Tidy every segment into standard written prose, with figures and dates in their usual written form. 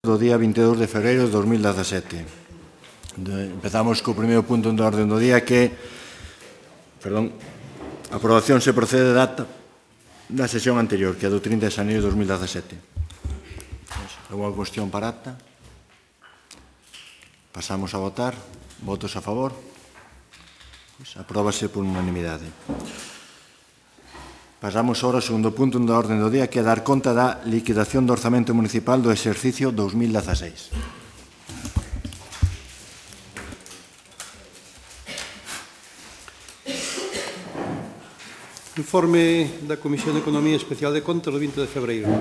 do día 22 de febreiro de 2017. Empezamos co primeiro punto da orden do día que a aprobación se procede da sesión anterior, que é do 30 de xaneiro de 2017. Alguna cuestión para acta? Pasamos a votar. Votos a favor? Apróbase por unanimidade. Pasamos ahora ao segundo punto da orden do día, que é dar conta da liquidación do orzamento municipal do exercicio 2016. Informe da Comisión de Economía Especial de Contas do 20 de febreiro.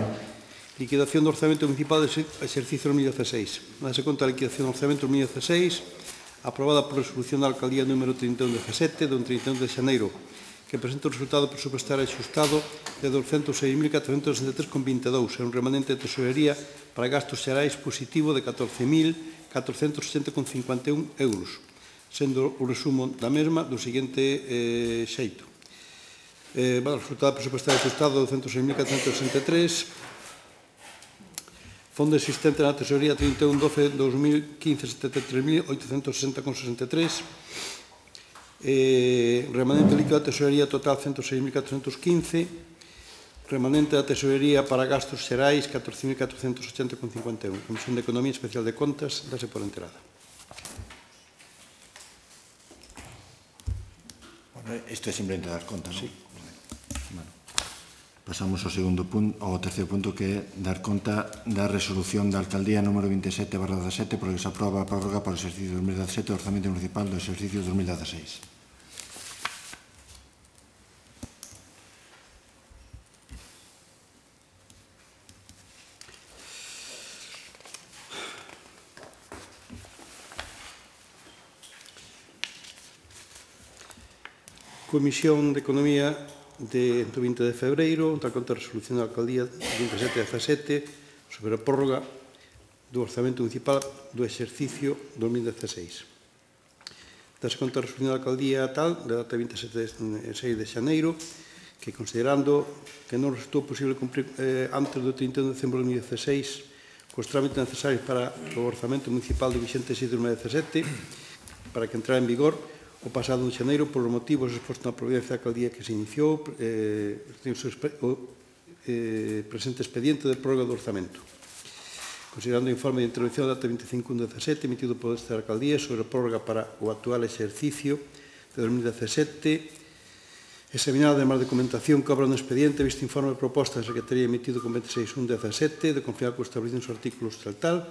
Liquidación do orzamento municipal do exercicio 2016. Dase conta da liquidación do orzamento 2016, aprobada por resolución da Alcaldía número 3117 do 31 de xaneiro, que presenta o resultado presupuestario axustado de 206.463,22 e un remanente de tesorería para gastos xerais positivo de 14.480,51 euros, sendo o resumo da mesma do seguinte xeito. O resultado presupuestario axustado de 206.463, fondo existente na tesorería 31/12/2015 73.860,63, remanente líquido da tesorería total 106.415, remanente da tesorería para gastos xerais 14.480,51. Comisión de Economía Especial de Contas, dase por enterada. Isto é simplemente dar conta, non? Sí. Pasamos ao segundo punto, ao terceiro punto, que é dar conta da resolución da Alcaldía número 27/17, por que se aproba a prórroga para o exercicio 2017 do orzamento municipal do exercicio 2016. Comisión de Economía do 20 de febreiro, da conta da resolución da Alcaldía 27/17 sobre a prórroga do orzamento municipal do exercicio 2016. Dase conta da resolución da Alcaldía tal, da data 27 de xaneiro, que considerando que non resultou posible cumprir antes do 31 de decembro de 2016 cos trámites necesarios para o orzamento municipal do vigente exercicio 2017, para que entrara en vigor o pasado de xaneiro, por os motivos expostos na providencia da Alcaldía que se iniciou o presente expediente de prórroga do orzamento. Considerando o informe de intervención da data 25/17 emitido por esta Alcaldía sobre a prórroga para o actual exercicio de 2017, examinada además de documentación que obra no expediente, visto informe de proposta da Secretaría emitido con 26/17, de confiar co establecido nos artículos tal,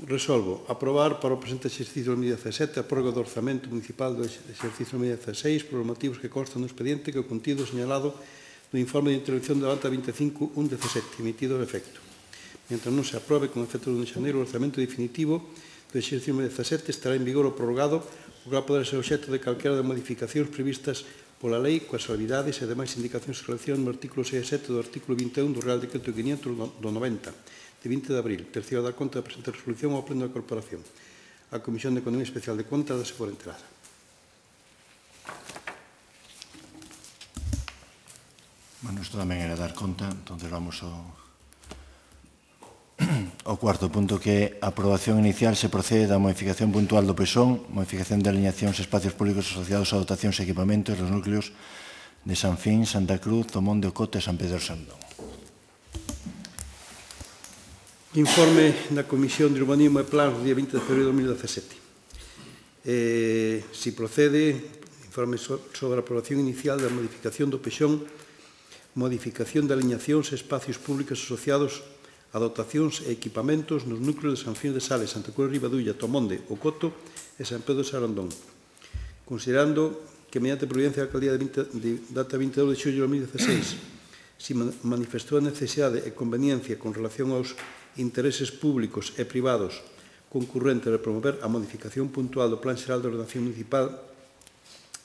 resolvo aprobar para o presente exercicio 2017 a prórroga do orzamento municipal do exercicio 2016 por os motivos que constan no expediente que o contido señalado no informe de intervención da data 25/17 emitido de efecto. Mientras non se aprobe con efecto do 1 de xaneiro o orzamento definitivo do exercicio 2017 estará en vigor o prorrogado, o que va a poder ser obxecto de calquera das modificacións previstas pola lei coas salvidades e demais indicacións que relacionan no artículo 6 e 7 do artículo 21 do Real Decreto 500 do 90, de 20 de abril, terceiro da conta da presente resolución ao Pleno da Corporación. A Comisión de Economía Especial de Contas dase por enterada. Bueno, isto tamén era dar conta, entón vamos ao cuarto punto, que é a aprobación inicial se procede da modificación puntual do PESON, modificación de alineacións e espacios públicos asociados a dotacións e equipamentos dos núcleos de San Fin, Santa Cruz, Tomón de Ocote e San Pedro Sandón. Informe da Comisión de Urbanismo e Plans do día 20 de febreiro de 2017. Si procede, informe sobre a aprobación inicial da modificación do PESON, modificación de alineacións e espacios públicos asociados a dotacións e equipamentos nos núcleos de San Fin de Sales, Santa Cruz de Ribadulla, Tomonde, Ocoto e San Pedro de Sarandón. Considerando que, mediante providencia da Alcaldía de data 22 de xullo de 2016, se manifestou a necesidade e conveniencia con relación aos intereses públicos e privados concurrentes de promover a modificación puntual do Plan Xeral de Ordenación Municipal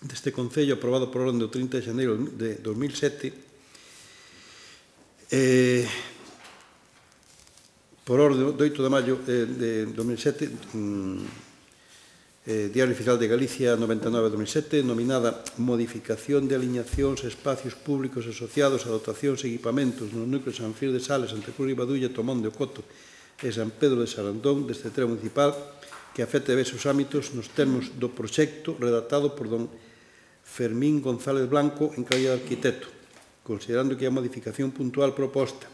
deste Concello, aprobado por orden do 30 de xaneiro de 2007, por orden do 8 de maio de 2007, Diario Oficial de Galicia 99/2007, nominada Modificación de alineacións e espacios públicos asociados a dotacións e equipamentos nos núcleos de San Fir de Sales, Santa Cruz de Ribadulla, Tomón de Ocoto e San Pedro de Sarandón deste termo municipal que afecta diversos ámbitos nos termos do proxecto redactado por don Fermín González Blanco en calidad de arquitecto, considerando que a modificación puntual proposta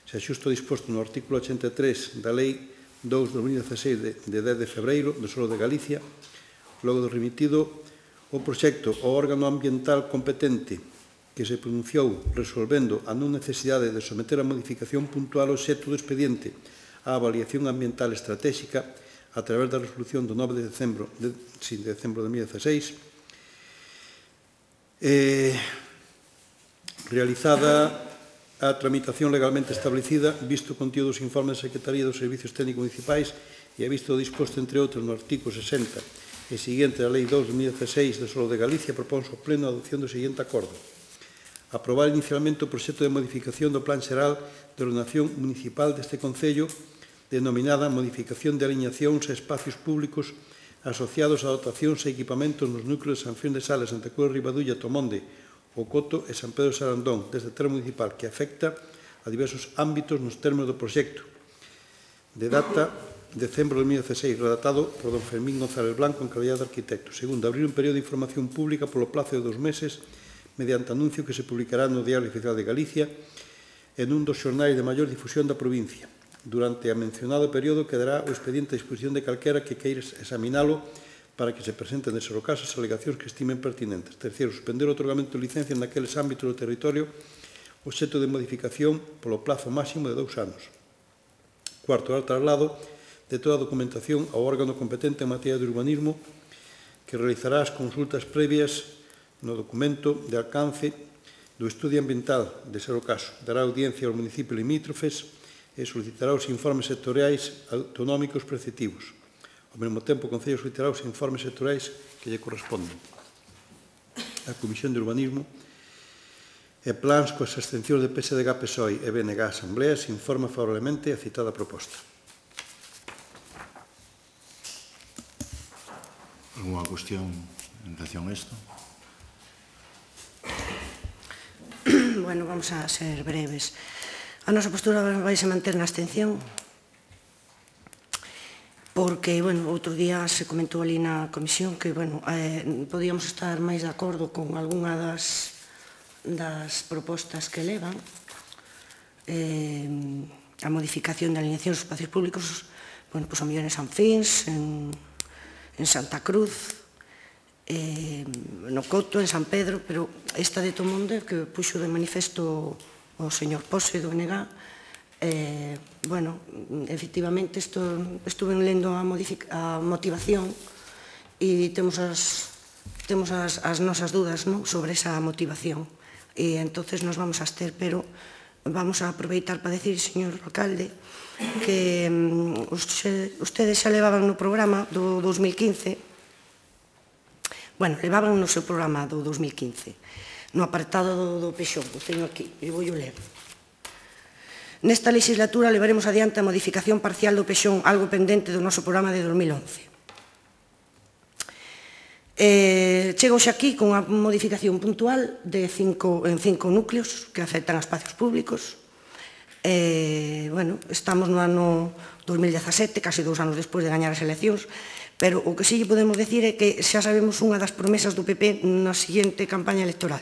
se axusta disposto no artículo 83 da Lei 2/2016 de 10 de febreiro do Solo de Galicia, logo do remitido o proxecto ao órgano ambiental competente que se pronunciou resolvendo a non necesidade de someter a modificación puntual ao xeto do expediente á avaliación ambiental estratégica a través da resolución do 9 de decembro de 2016, realizada a tramitación legalmente establecida, visto o contido dos informes da Secretaría dos Servicios Técnicos Municipais e a visto o disposto, entre outros, no artigo 60 e seguinte da Lei 2/2016 do Solo de Galicia, propónse ao Pleno a adopción do seguinte acordo. Aprobar inicialmente o proxecto de modificación do Plan Xeral de Ordenación Municipal deste Concello, denominada Modificación de aliñacións e espacios públicos asociados a dotacións e equipamentos nos núcleos de San Frín de Sales, Santa Cruz de Ribadulla, Tomonde, O Coto e San Pedro de Sarandón, desde termo municipal, que afecta a diversos ámbitos nos termos do proxecto. De data decembro de 2016, redactado por don Fermín González Blanco en calidad de arquitecto. Segundo, abrir un período de información pública polo plazo de 2 meses mediante anuncio que se publicará no Diario Oficial de Galicia en un dos xornais de maior difusión da provincia. Durante a mencionado período quedará o expediente a disposición de calquera que queira examinalo para que se presenten, de ser o caso, as alegacións que estimen pertinentes. Terceiro, suspender o otorgamento de licencias naqueles ámbitos do territorio obxecto de modificación polo plazo máximo de 2 anos. Cuarto, dar traslado de toda a documentación ao órgano competente en materia de urbanismo que realizará as consultas previas no documento de alcance do estudio ambiental, de ser o caso. Dará audiencia aos municipios limítrofes e solicitará os informes sectoriais autonómicos preceptivos. Ao mesmo tempo, o Concello solicitará os informes sectoriais que lle corresponden. A Comisión de Urbanismo e plans coas extensións de PSDG, PSOE e BNG Asamblea se informa favorablemente a citada proposta. Alguna cuestión en relación a isto? Bueno, vamos a ser breves. A nosa postura vai se manter na abstención porque, bueno, outro día se comentou ali na comisión que, bueno, podíamos estar máis de acordo con algunha das propostas que levan. A modificación de alineación dos espacios públicos, bueno, pois a mellor en San Fins, en Santa Cruz, no Coto, en San Pedro, pero esta de Tomonde que puxo de manifesto o señor Pose do NG, bueno, efectivamente, estuve lendo a motivación e temos as nosas dudas sobre esa motivación e entonces nos vamos a abster, pero vamos a aproveitar para decir, señor alcalde, que ustedes xa levaban no programa do 2015, bueno, levaban no seu programa do 2015, no apartado do Pexón, o teño aquí, e vou ler. Nesta legislatura levaremos adiante a modificación parcial do Pexón, algo pendente do noso programa de 2011. Chego xa aquí con unha modificación puntual en 5 núcleos que afectan a espacios públicos. Bueno, estamos no ano 2017, casi 2 anos despois de gañar as eleccións, pero o que sí podemos decir é que xa sabemos unha das promesas do PP na seguinte campaña electoral,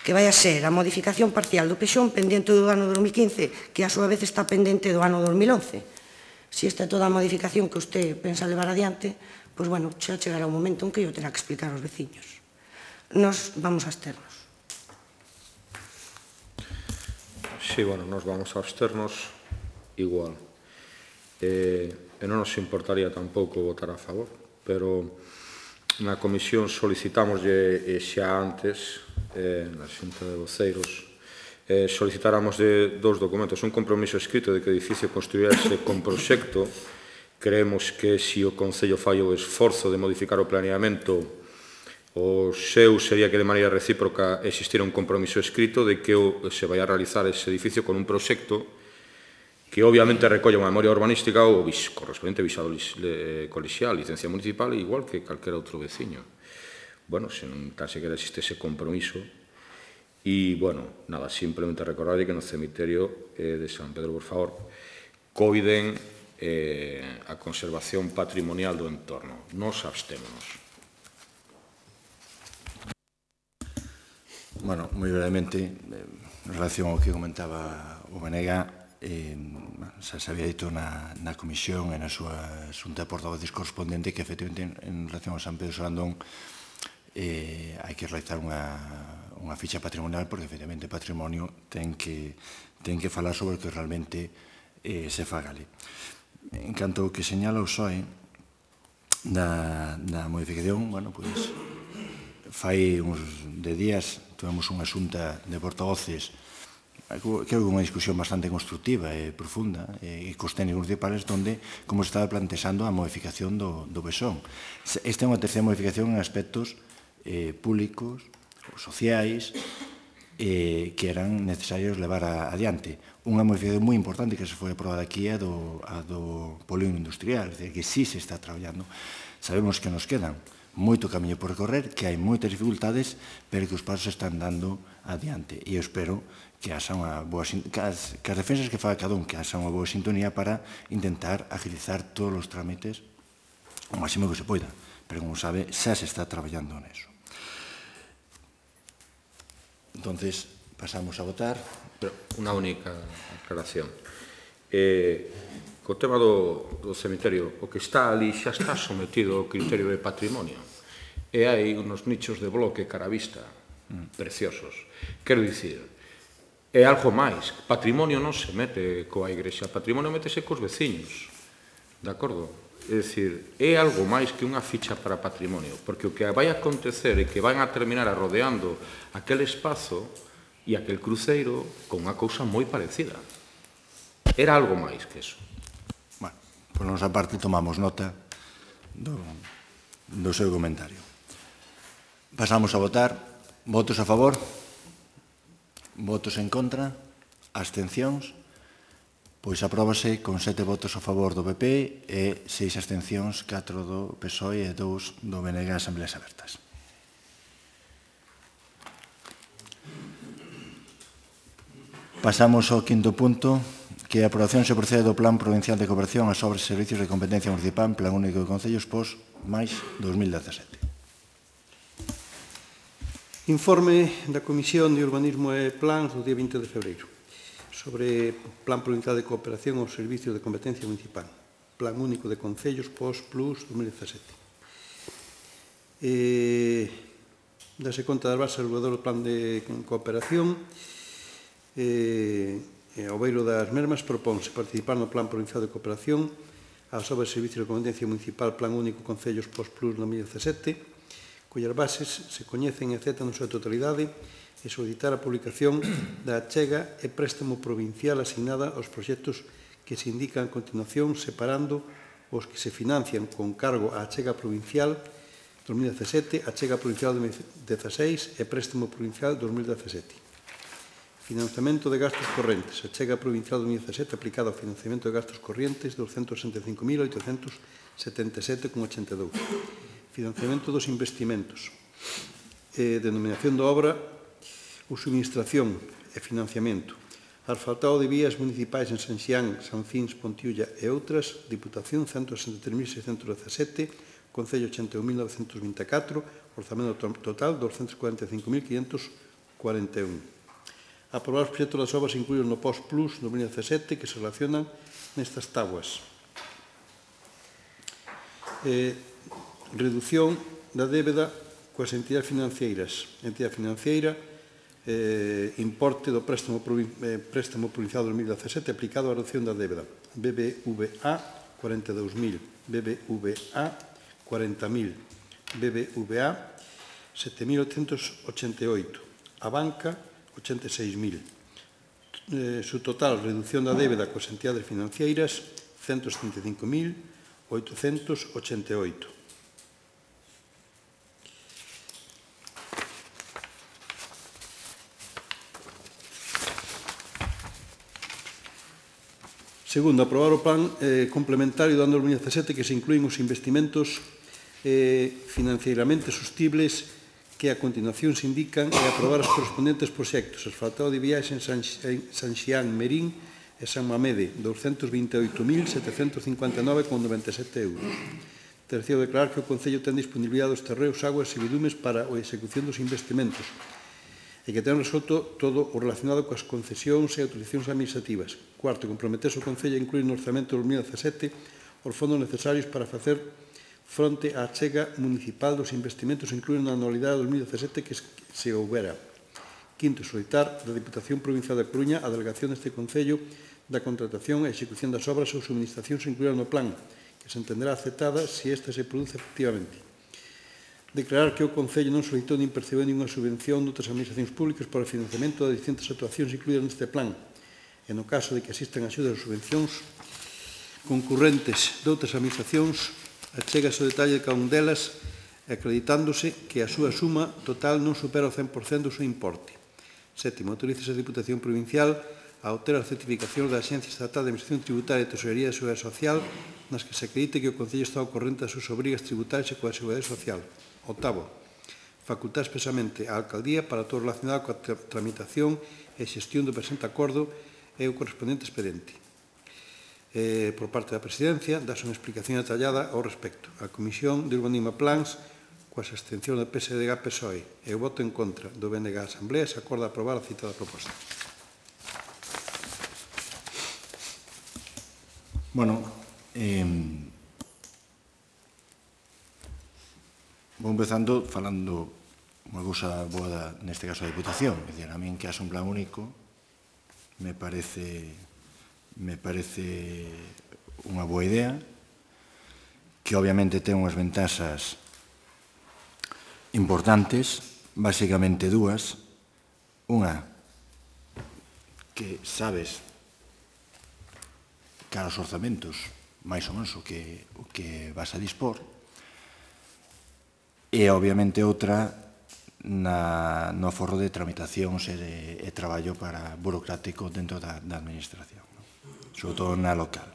que vai a ser a modificación parcial do Pexón pendente do ano 2015, que a súa vez está pendente do ano 2011. Se esta é toda a modificación que usted pensa levar adiante, pois, bueno, xa chegará un momento en que yo terá que explicar aos veciños. Nos vamos a absternos. Sí, bueno, nos vamos a absternos igual. E non nos importaría tampouco votar a favor, pero na comisión solicitámoslle xa antes, na xunta de voceiros, solicitáramos de 2 documentos, un compromiso escrito de que o edificio construirase con proxecto. Creemos que se o Concello fai o esforzo de modificar o planeamento, o seu sería que de maneira recíproca existira un compromiso escrito de que se vai a realizar ese edificio con un proxecto que obviamente recolle unha memoria urbanística ou correspondente visado colexial, licencia municipal, igual que calquera outro veciño. Bueno, se non tan sequera existe ese compromiso. E, bueno, nada, simplemente recordarlle que no cemiterio de San Pedro, por favor, coiden a conservación patrimonial do entorno. Nos abstémonos. Bueno, moi brevemente, en relación ao que comentaba o Benega, xa se había dito na comisión e na súa xunta de portavoces correspondente que, efectivamente, en relación ao San Pedro Solandón, hai que realizar unha ficha patrimonial porque, efectivamente, o patrimonio ten que falar sobre o que realmente se faga ali. En canto ao que señala o PSOE da modificación, bueno, pois, fai uns de días tivemos unha xunta de portavoces, creo que unha discusión bastante constructiva e profunda e cos técnicos municipales onde como se estaba plantexando a modificación do BESON. Esta é unha terceira modificación en aspectos públicos ou sociais que eran necesarios levar adiante. Unha modificación moi importante que se foi aprobada aquí é a do polígono industrial, é dicir, que sí se está traballando. Sabemos que nos quedan moito camiño por recorrer, que hai moitas dificultades, pero que os pasos están dando adiante. E eu espero que haxa unha boa que as defensas que faga cada un, que haxa unha boa sintonía para intentar agilizar todos os trámites o máximo que se poida. Pero, como sabe, xa se está traballando neso. Entonces, pasamos a votar. Pero unha única aclaración. Co tema do cemiterio, o que está ali xa está sometido ao criterio de patrimonio. E hai unos nichos de bloque cara a vista preciosos. Quero dicir, é algo máis. Patrimonio non se mete coa igrexa, patrimonio métese cos veciños. De acordo? É dicir, é algo máis que unha ficha para patrimonio, porque o que vai acontecer é que van a terminar arrodeando aquel espazo e aquel cruceiro con unha cousa moi parecida. Era algo máis que eso. Bueno, por nosa parte tomamos nota do seu comentario. Pasamos a votar. Votos a favor? Votos en contra? Abstencións? Pois apróbase con 7 votos a favor do PP e 6 abstencións, 4 do PSOE e 2 do BNG Asambleas Abertas. Pasamos ao quinto punto, que a aprobación se procede do Plan Provincial de Cooperación ás obras e servicios de competencia municipal, Plan Único de Concellos POS, máis 2017. Informe da Comisión de Urbanismo e Plans do día 20 de febreiro sobre Plan Provincial de Cooperación aos Servicios de Competencia Municipal, Plan Único de Concellos POS Plus 2017. Dase conta das bases regulador do Plan de Cooperación e ao beiro das mesmas propónse participar no Plan Provincial de Cooperación ás obras e servicios de competencia municipal Plan Único Concellos POS Plus 2017, cuyas bases se coñecen e aceptan na súa totalidade e solicitar a publicación da achega e préstamo provincial asignada aos proxectos que se indican a continuación, separando os que se financian con cargo á achega provincial 2017, achega provincial 2016 e préstamo provincial 2017. Financiamento de gastos correntes. Achega provincial 2017 aplicada ao financiamento de gastos correntes 265.877,82. Financiamento dos investimentos. Denominación da obra, subministración e financiamento. Asfaltado de vías municipais en San Xián, San Fins, Pontiulla e outras. Diputación 163.617, Concello 81.924, orzamento total 245.541. Aprobar os proxectos das obras incluídos no POS Plus 2017 que se relacionan nestas tabuas. Reducción da débeda coas entidades financeiras. Entidade financiera, importe do préstamo provincial 2017 aplicado á reducción da débeda. BBVA 42.000, BBVA 40.000, BBVA 7.888, a banca 86.000. Su total reducción da débeda coas entidades financeiras 135.888. Segundo, aprobar o plan complementario do ano 2017 que se incluín os investimentos financieramente sostibles que a continuación se indican e aprobar os correspondentes proxectos. Asfaltado de viais en San Xián, Merín e San Mamede, 228.759,97 euros. Terceiro, declarar que o Concello ten disponibilidade dos terreos, aguas e bidumes para a execución dos investimentos e que ten resolto todo o relacionado coas concesións e autorizacións administrativas. Cuarto, comprometerse o Concello a incluir no orzamento de 2017 os fondos necesarios para facer fronte á achega municipal dos investimentos incluídos na anualidade de 2017 que se houbera. Quinto, solicitar da Diputación Provincial da Coruña a delegación deste Concello da contratación e execución das obras ou subministracións incluídas no plan, que se entenderá aceptada se esta se produce efectivamente. Declarar que o Concello non solicitou nin percebeu ninguna subvención de outras administracións públicas para o financiamento das distintas actuacións incluídas neste plan. E no caso de que existan axudas ou subvencións concurrentes de outras administracións, achégase o detalle de cada un delas, acreditándose que a súa suma total non supera o 100% do seu importe. Sétimo, autoriza a Diputación Provincial a obter as certificacións da Axencia Estatal de Administración Tributaria e Tesorería de Seguridade Social nas que se acredite que o Concello está ao corrente das súas obrigas tributarias e coa Seguridade Social. Octavo, facultar expresamente a Alcaldía para todo relacionado coa tramitación e xestión do presente acordo e o correspondente expediente. Por parte da Presidencia, dáse unha explicación detallada ao respecto. A Comisión de Urbanismo e Plans, coas abstencións do PSDG-PSOE e o voto en contra do BNG a Asamblea, se acorda aprobar a citada proposta. Bueno, vou empezando falando unha cousa boa neste caso da Diputación. É dicir, a min que haxe un plan único me parece unha boa idea, que obviamente ten unhas ventaxas importantes, basicamente dúas. Unha, que sabes cara aos orzamentos máis ou menos o que vas a dispor, e obviamente outra no aforro de tramitacións e traballo burocrático dentro da administración, sobre todo na local.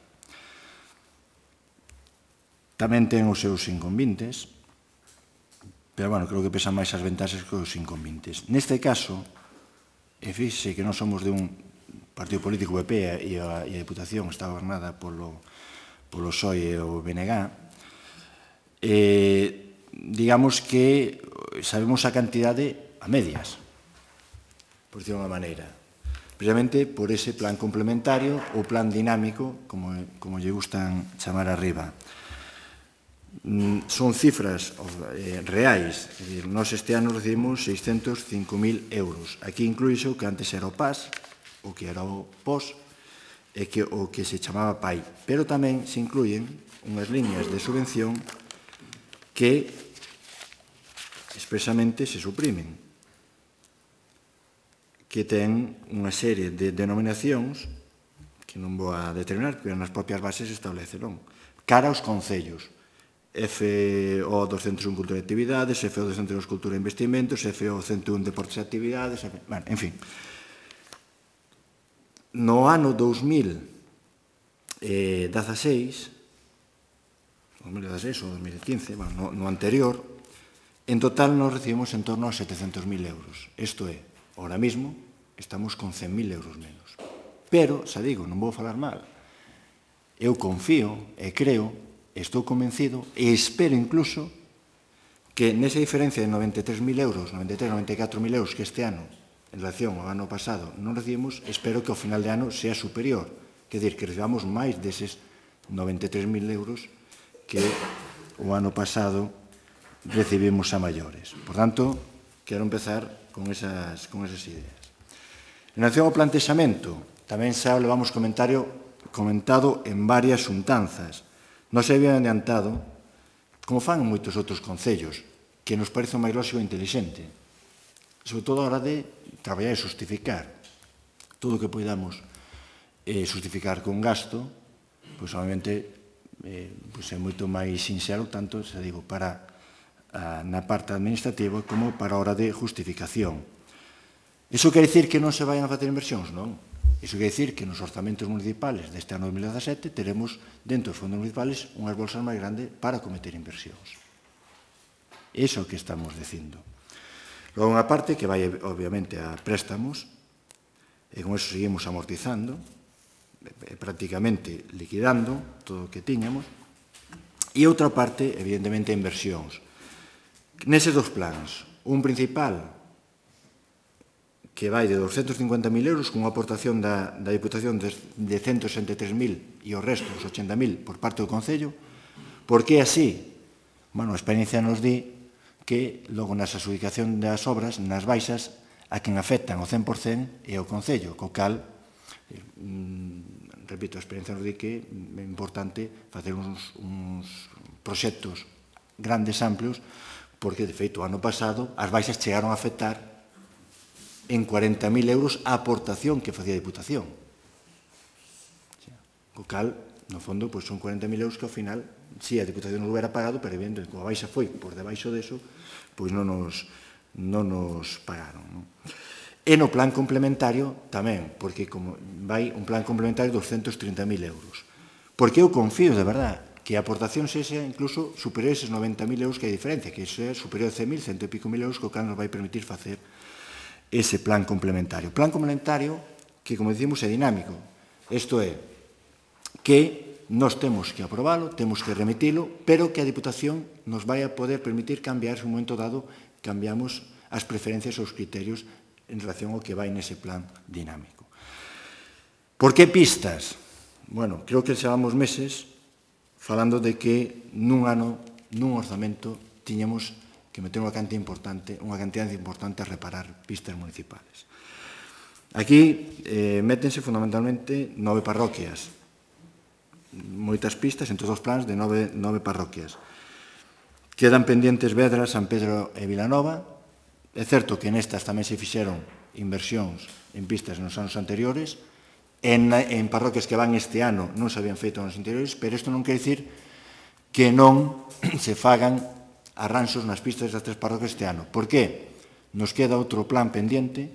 Tamén ten os seus inconvenientes, pero, bueno, creo que pesan máis as ventaxas que os inconvenientes. Neste caso, e fixe que non somos de un partido político PP e a Diputación está gobernada polo PSOE e o BNG, digamos que sabemos a cantidade a medias, por decirlo de unha maneira, precisamente por ese plan complementario ou plan dinámico, como lle gustan chamar arriba. Son cifras reais, é dicir, nós este ano recibimos 605.000 euros. Aquí incluíse o que antes era o PAS, o que era o POS, e o que se chamaba PAI. Pero tamén se incluyen unhas liñas de subvención que expresamente se suprimen, que ten unha serie de denominacións que non vou a determinar, porque nas propias bases estableceron, cara aos concellos. FO 201 Cultura e Actividades, FO 202 Cultura e Investimentos, FO 101 Deportes e Actividades, en fin. No ano 2016 ou 2015, no anterior, en total nos recibimos en torno a 700.000 euros. Isto é, ahora mismo estamos con 100.000 euros menos. Pero, xa digo, non vou falar mal. Eu confío e creo, estou convencido e espero incluso que nesa diferencia de 93.000 euros, 94.000 euros que este ano, en relación ao ano pasado, non recibimos, espero que ao final de ano sea superior. Quer dizer, que recibamos máis deses 93.000 euros que o ano pasado recibimos a maiores. Por tanto, quero empezar con esas ideas. En relación ao plantexamento, tamén xa levamos comentado en varias xuntanzas. Non se había adiantado, como fan moitos outros concellos, que nos parece o máis lóxico e inteligente, sobre todo a hora de traballar e justificar. Todo o que podamos justificar con gasto, pois, obviamente, é moito máis sinxelo, tanto, xa digo, para na parte administrativa como para a hora de justificación. Iso quere dicir que non se vayan a facer inversións? Non. Iso quere dicir que nos orzamentos municipales deste ano 2017 teremos dentro dos fondos municipales unhas bolsas máis grandes para cometer inversións. Iso é o que estamos dicindo. Logo, unha parte que vai, obviamente, a préstamos, e con eso seguimos amortizando, prácticamente liquidando todo o que tiñamos, e outra parte, evidentemente, inversións. Neses dos plans, un principal que vai de 250.000 euros con unha aportación da Diputación de 163.000 e o resto, os 80.000, por parte do Concello. Por que así? Bueno, a experiencia nos di que logo nas adjudicación das obras, nas baixas, a quen afectan o 100% é o Concello, co cal, repito, a experiencia nos di que é importante facer uns proxectos grandes, amplios, porque, de feito, o ano pasado as baixas chegaron a afectar en 40.000 euros a aportación que facía a Diputación. Co cal, no fondo, son 40.000 euros que ao final, si a Diputación non hubiera pagado, pero evidentemente, como a baixa foi por debaixo deso, pois non nos pagaron. E no plan complementario tamén, porque vai un plan complementario de 230.000 euros. Porque eu confío, de verdad, que a aportación sexa incluso superior a esos 90.000 euros que hai diferencia, que sea superior a 100.000, 100 e pico mil euros, que o cal nos vai permitir facer ese plan complementario. Plan complementario que, como dicimos, é dinámico. Isto é, que nós temos que aprobalo, temos que remitilo, pero que a Diputación nos vai a poder permitir cambiar, se un momento dado, cambiamos as preferencias ou os criterios en relación ao que vai nese plan dinámico. Por que pistas? Bueno, creo que xevamos meses falando de que nun ano, nun orzamento, tiñamos que meter unha cantidad importante a reparar pistas municipales. Aquí métense fundamentalmente 9 parroquias, moitas pistas, entre os plans de 9 parroquias. Quedan pendientes Vedra, San Pedro e Vilanova. É certo que nestas tamén se fixeron inversións en pistas nos anos anteriores, en parroquias que van este ano non se habían feito nos anteriores, pero isto non quer dicir que non se fagan arranxos nas pistas das 3 parroquias este ano. Por que? Nos queda outro plan pendiente,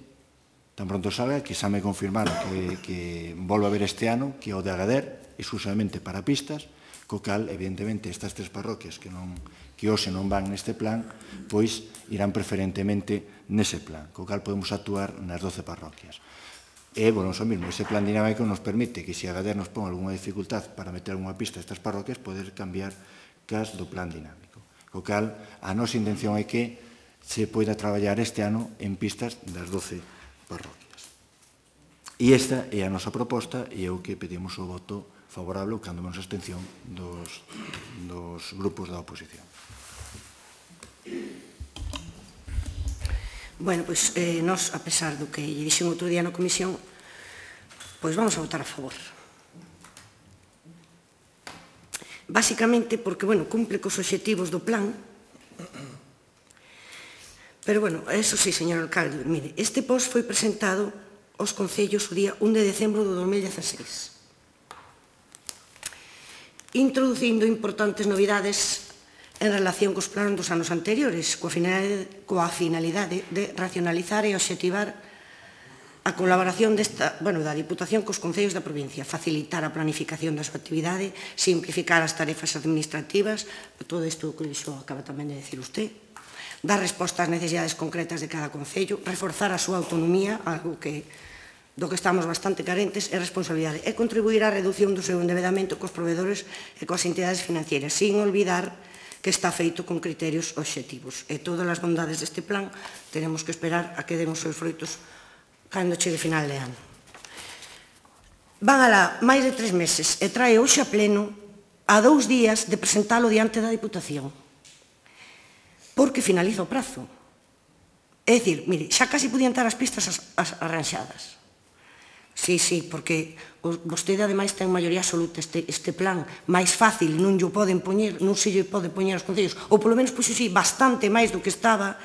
tan pronto salga, que xa me confirmaron que volve a haber este ano, que é o de Agader, exclusivamente para pistas, co cal, evidentemente, estas 3 parroquias que hoxe non van neste plan, pois irán preferentemente nese plan, co cal podemos actuar nas 12 parroquias. E, bueno, eso mesmo, ese plan dinámico nos permite que se Agader nos pon algunha dificultad para meter algunha pista a estas parroquias, poder cambiar cas do plan dinámico. Co cal, a nosa intención é que se poida traballar este ano en pistas das 12 parroquias. E esta é a nosa proposta e é o que pedimos o voto favorable, cando menos abstención, dos grupos da oposición. Bueno, pois, nós, a pesar do que lle dixen outro día na comisión, pois vamos a votar a favor. Básicamente porque, bueno, cumple cos obxectivos do plan, pero, bueno, eso sí, señor alcalde, mire, este post foi presentado aos concellos o día 1 de decembro do 2016, introducindo importantes novidades en relación cos planos dos anos anteriores, coa finalidade de racionalizar e obxectivar a colaboración da Diputación cos concellos da provincia, facilitar a planificación da súa actividade, simplificar as tarefas administrativas, todo isto que iso acaba tamén de decir usted, dar resposta ás necesidades concretas de cada concello, reforzar a súa autonomía, algo do que estamos bastante carentes, e responsabilidade, e contribuir á reducción do seu endeudamento cos provedores e coas entidades financieras, sin olvidar que está feito con criterios obxectivos. E todas as bondades deste plan tenemos que esperar a que den os seus froitos cando chegue final de ano. Van alá máis de 3 meses e trae hoxe a pleno a 2 días de presentalo diante da Diputación, porque finaliza o prazo. É dicir, mire, xa casi podían estar as pistas arranxadas. Sí, porque vostede ademais ten maioría absoluta, este plan máis fácil non se lle pode poñer aos concellos, ou polo menos, pois sí, bastante máis do que estaba,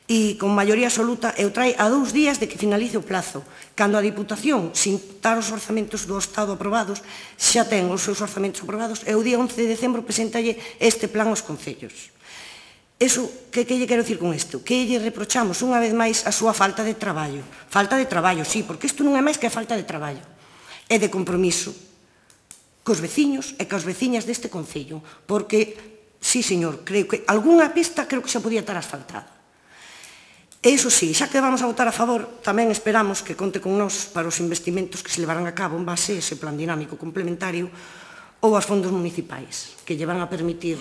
e con maioría absoluta, e o trae a 2 días de que finalice o plazo, cando a Diputación, sin estar os orzamentos do Estado aprobados, xa ten os seus orzamentos aprobados, e o día 11 de decembro presentalle este plan aos concellos. Eso, que lle quero dicir con isto? Que lle reprochamos unha vez máis a súa falta de traballo. Falta de traballo, sí, porque isto non é máis que a falta de traballo. E de compromiso cos veciños e cos veciñas deste concello. Porque, sí, señor, creo que algunha pista creo que xa podía estar asfaltada. E iso sí, xa que vamos a votar a favor, tamén esperamos que conte con nós para os investimentos que se levarán a cabo en base a ese plan dinámico complementario ou aos fondos municipais, que lle van a permitir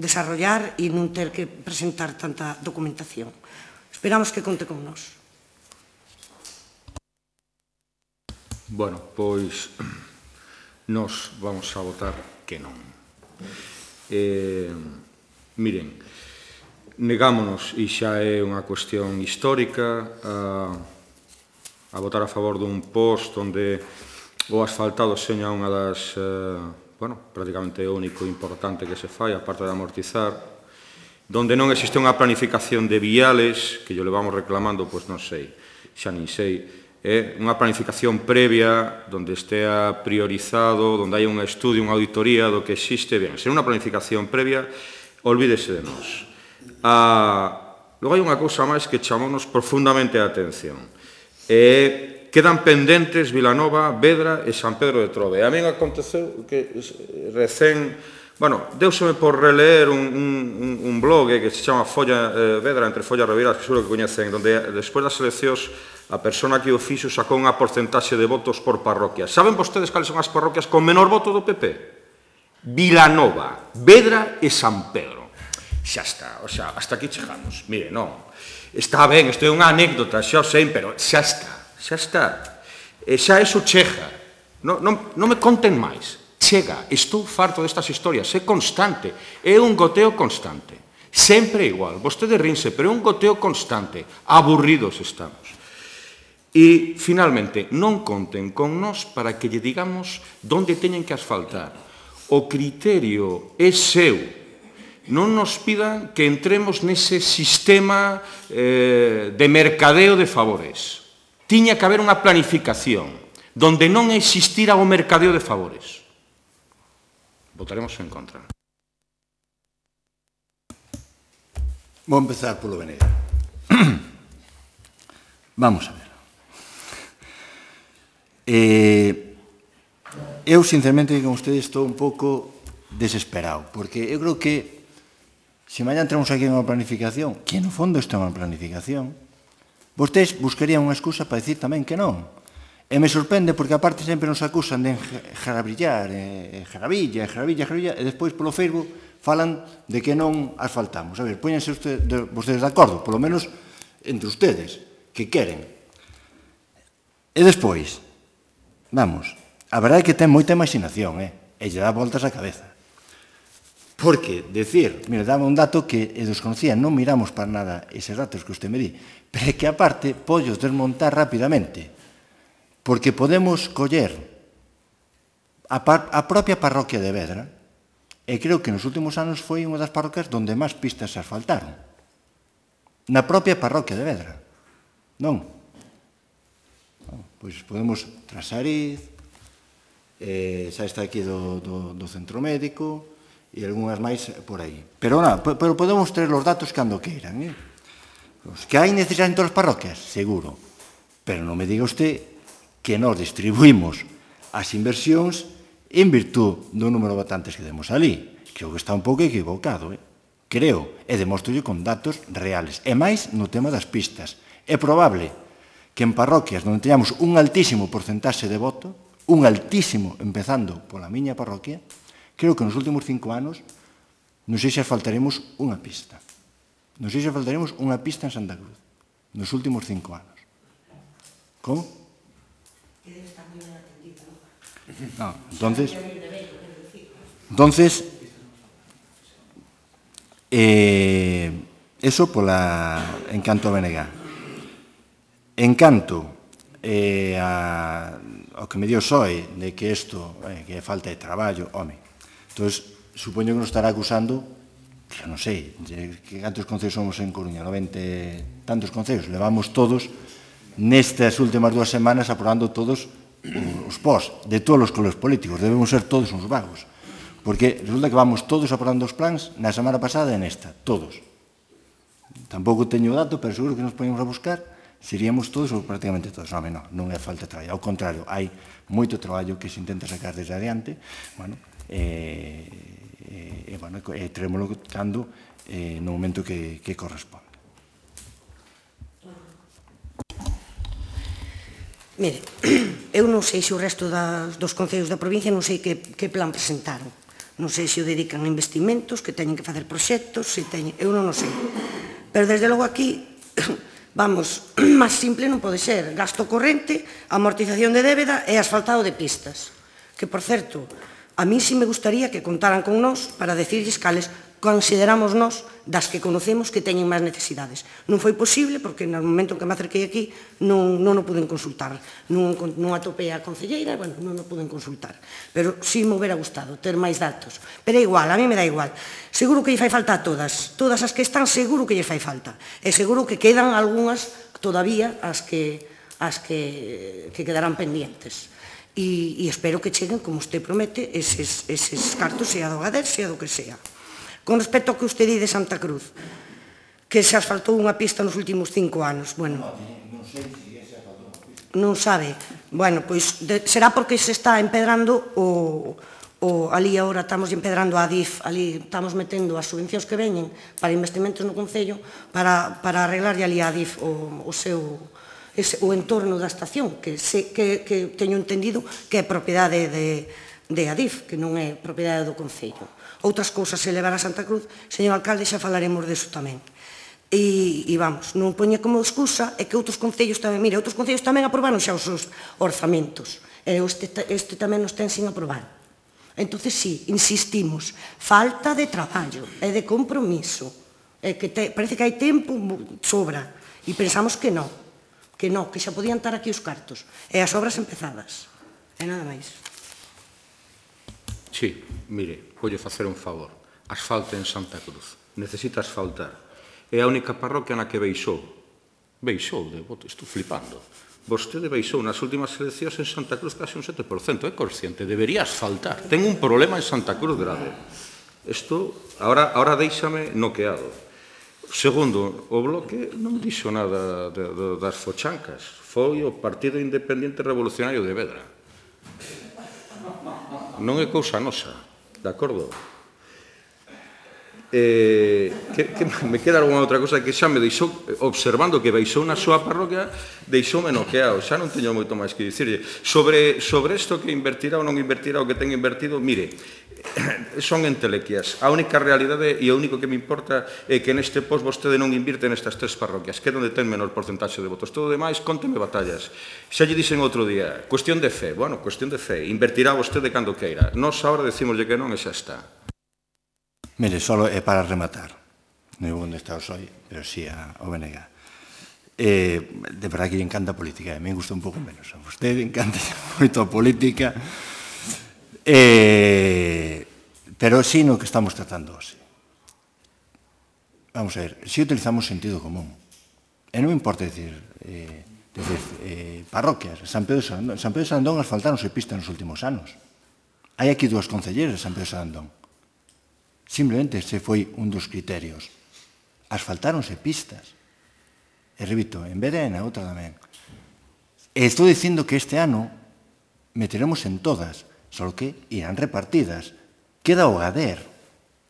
desarrollar e non ter que presentar tanta documentación. Esperamos que conte con nós. Bueno, pois nós vamos a votar que non. Miren, negámonos, e xa é unha cuestión histórica, a votar a favor dun post onde o asfaltado seña unha das, prácticamente o único importante que se fai, a parte de amortizar, donde non existe unha planificación de viales, que yo levamos reclamando, pois non sei, xa nin sei, unha planificación previa, donde estea priorizado, donde hai un estudio, unha auditoría do que existe, ben, ser unha planificación previa, olvídese de nós. Logo hai unha cousa máis que chamamos profundamente a atención. Quedan pendentes Vilanova, Vedra e San Pedro de Trove. A min aconteceu que recén, deuseme por releer un blog que se chama Folla Vedra, entre Follas Reveiras, que seguro que coñecen, donde despois das eleccións a persona que o fixo sacou unha porcentaxe de votos por parroquia. Saben vostedes cales son as parroquias con menor voto do PP? Vilanova, Vedra e San Pedro. Xa está, hasta aquí chegamos. Mire, non, está ben, isto é unha anécdota, xa o sei, pero xa está, xa está. Xa eso chega. Non me conten máis. Chega, estou farto destas historias, é constante, é un goteo constante. Sempre igual, vostede rinse, pero é un goteo constante. Aburridos estamos. E, finalmente, non conten con nós para que lle digamos onde teñen que asfaltar. O criterio é seu. Non nos pidan que entremos nese sistema de mercadeo de favores. Tiña que haber unha planificación donde non existira o mercadeo de favores. Votaremos en contra. Vou empezar polo Venega. Vamos a ver. Eu, sinceramente, con ustedes estou un pouco desesperado, porque eu creo que se mañá entramos aquí en unha planificación, que no fondo isto é unha planificación, vostedes buscarían unha excusa para decir tamén que non. E me sorprende porque aparte sempre nos acusan de jarabrillar, jarabilla, e despois polo Facebook falan de que non asfaltamos. A ver, póñense vostedes de acordo, polo menos entre ustedes, que queren. E despois, vamos, a verdade é que ten moita imaginación, e lle dá voltas a cabeza. Porque, decir, mire, dame un dato que desconocía, non miramos para nada eses datos que usted me di, pero é que aparte pollos desmontar rapidamente, porque podemos coller a propia parroquia de Vedra, e creo que nos últimos anos foi unha das parroquias onde máis pistas se asfaltaron. Na propia parroquia de Vedra. Non? Pois podemos Trasariz, xa está aquí do centro médico, e algunhas máis por aí. Pero podemos ter os datos cando queiran. Os que hai necesidade en todas as parroquias, seguro. Pero non me diga usted que nós distribuímos as inversións en virtud do número de votantes que demos ali. Creo que está un pouco equivocado, creo, e demostrolle con datos reales. E máis no tema das pistas. É probable que en parroquias onde teñamos un altísimo porcentaxe de voto, un altísimo, empezando pola miña parroquia, creo que nos últimos 5 anos non sei se asfaltaremos unha pista. Non sei se asfaltaremos unha pista en Santa Cruz nos últimos 5 anos. Como? No, entonces, eso en canto a BNG. En canto ao que me dio Soe de que isto que é falta de traballo, home, entón, supoño que nos estará acusando, que non sei, que cantos concellos somos en Coruña, 90 tantos concellos, levamos todos nestas últimas 2 semanas aprobando todos os pós de todos os colores políticos, debemos ser todos uns vagos, porque resulta que vamos todos aprobando os plans na semana pasada e nesta, todos. Tampouco teño o dato, pero seguro que nos poñemos a buscar, seríamos todos ou prácticamente todos. Non é falta de traballo, ao contrario, hai moito traballo que se intenta sacar desde adiante, e teremoslo cando no momento que corresponde. Mire, eu non sei se o resto dos concellos da provincia non sei que plan presentaron. Non sei se o dedican a investimentos, que teñen que facer proxectos, eu non o sei. Pero desde logo aquí, vamos, máis simple non pode ser. Gasto corrente, amortización de débeda e asfaltado de pistas. Que, por certo, a mí sí me gustaría que contaran con nós para decirles cales consideramos nós das que conocemos que teñen máis necesidades. Non foi posible porque no momento que me acerquei aquí non o puden consultar. Non atopei a concelleira, bueno, non o puden consultar. Pero sí me hubiera gustado ter máis datos. Pero é igual, a mí me dá igual. Seguro que lle fai falta a todas. Todas as que están seguro que lle fai falta. E seguro que quedan algunhas todavía as que quedarán pendientes. E espero que cheguen, como usted promete, eses cartos, sea do GADER, sea do que sea. Con respecto ao que usted di de Santa Cruz, que se asfaltou unha pista nos últimos 5 anos, bueno, non sabe. Bueno, pois será porque se está empedrando ali agora estamos empedrando a ADIF, ali estamos metendo as subvencións que veñen para investimentos no Concello para arreglarlle ali a ADIF o entorno da estación, que teño entendido que é propiedade de ADIF, que non é propiedade do Concello. Outras cousas se levar a Santa Cruz, señor alcalde, xa falaremos deso tamén. E vamos, non poña como excusa é que outros concellos tamén, mire, outros concellos tamén aprobaron xa os seus orzamentos, e este tamén nos ten sin aprobar. Entonces, sí, insistimos, falta de traballo e de compromiso, e que parece que hai tempo, sobra, e pensamos que non, que xa podían estar aquí os cartos, e as obras empezadas, e nada máis. Sí, mire, voulle facer un favor. Asfalte en Santa Cruz. Necesita asfaltar. É a única parroquia na que baixou. Baixou, estou flipando. Vostede baixou nas últimas eleccións en Santa Cruz case un 7%. É consciente, debería asfaltar. Ten un problema en Santa Cruz grave. Isto, ahora deixame noqueado. Segundo, o Bloque non dixo nada das fochancas. Foi o Partido Independiente Revolucionario de Vedra. Non é cousa nosa, de acordo? Me queda alguna outra cosa que xa me deixou, observando que baixou na súa parroquia, deixoume noqueado, xa non teño moito máis que dicirlle. Sobre isto que invertirá ou non invertirá o que ten invertido, mire, son entelequias. A única realidade e o único que me importa é que neste pos vostede non invirte nestas 3 parroquias, que é onde ten menor porcentaxe de votos. Todo o demais, cónteme batallas. Xa lle dixen outro día, cuestión de fe. Bueno, cuestión de fe. Invertirá vostede cando queira. Nos agora decimoslle que non e xa está. Mire, só é para rematar. Non é onde está o SOI, pero sí ao BNG. De verdad que lle encanta a política. A mí me gusta un pouco menos. A vostede encanta moito a política. Pero sí no que estamos tratando hoxe. Vamos a ver, si utilizamos sentido común. E non importa decir parroquias. San Pedro de Sandón asfaltáronse pistas nos últimos anos. Hai aquí 2 concelleiros de San Pedro de Sandón. Simplemente ese foi un dos criterios. Asfaltáronse pistas. E repito, en vez de na outra tamén. E estou dicindo que este ano meteremos en todas, só que irán repartidas. Queda o GADER.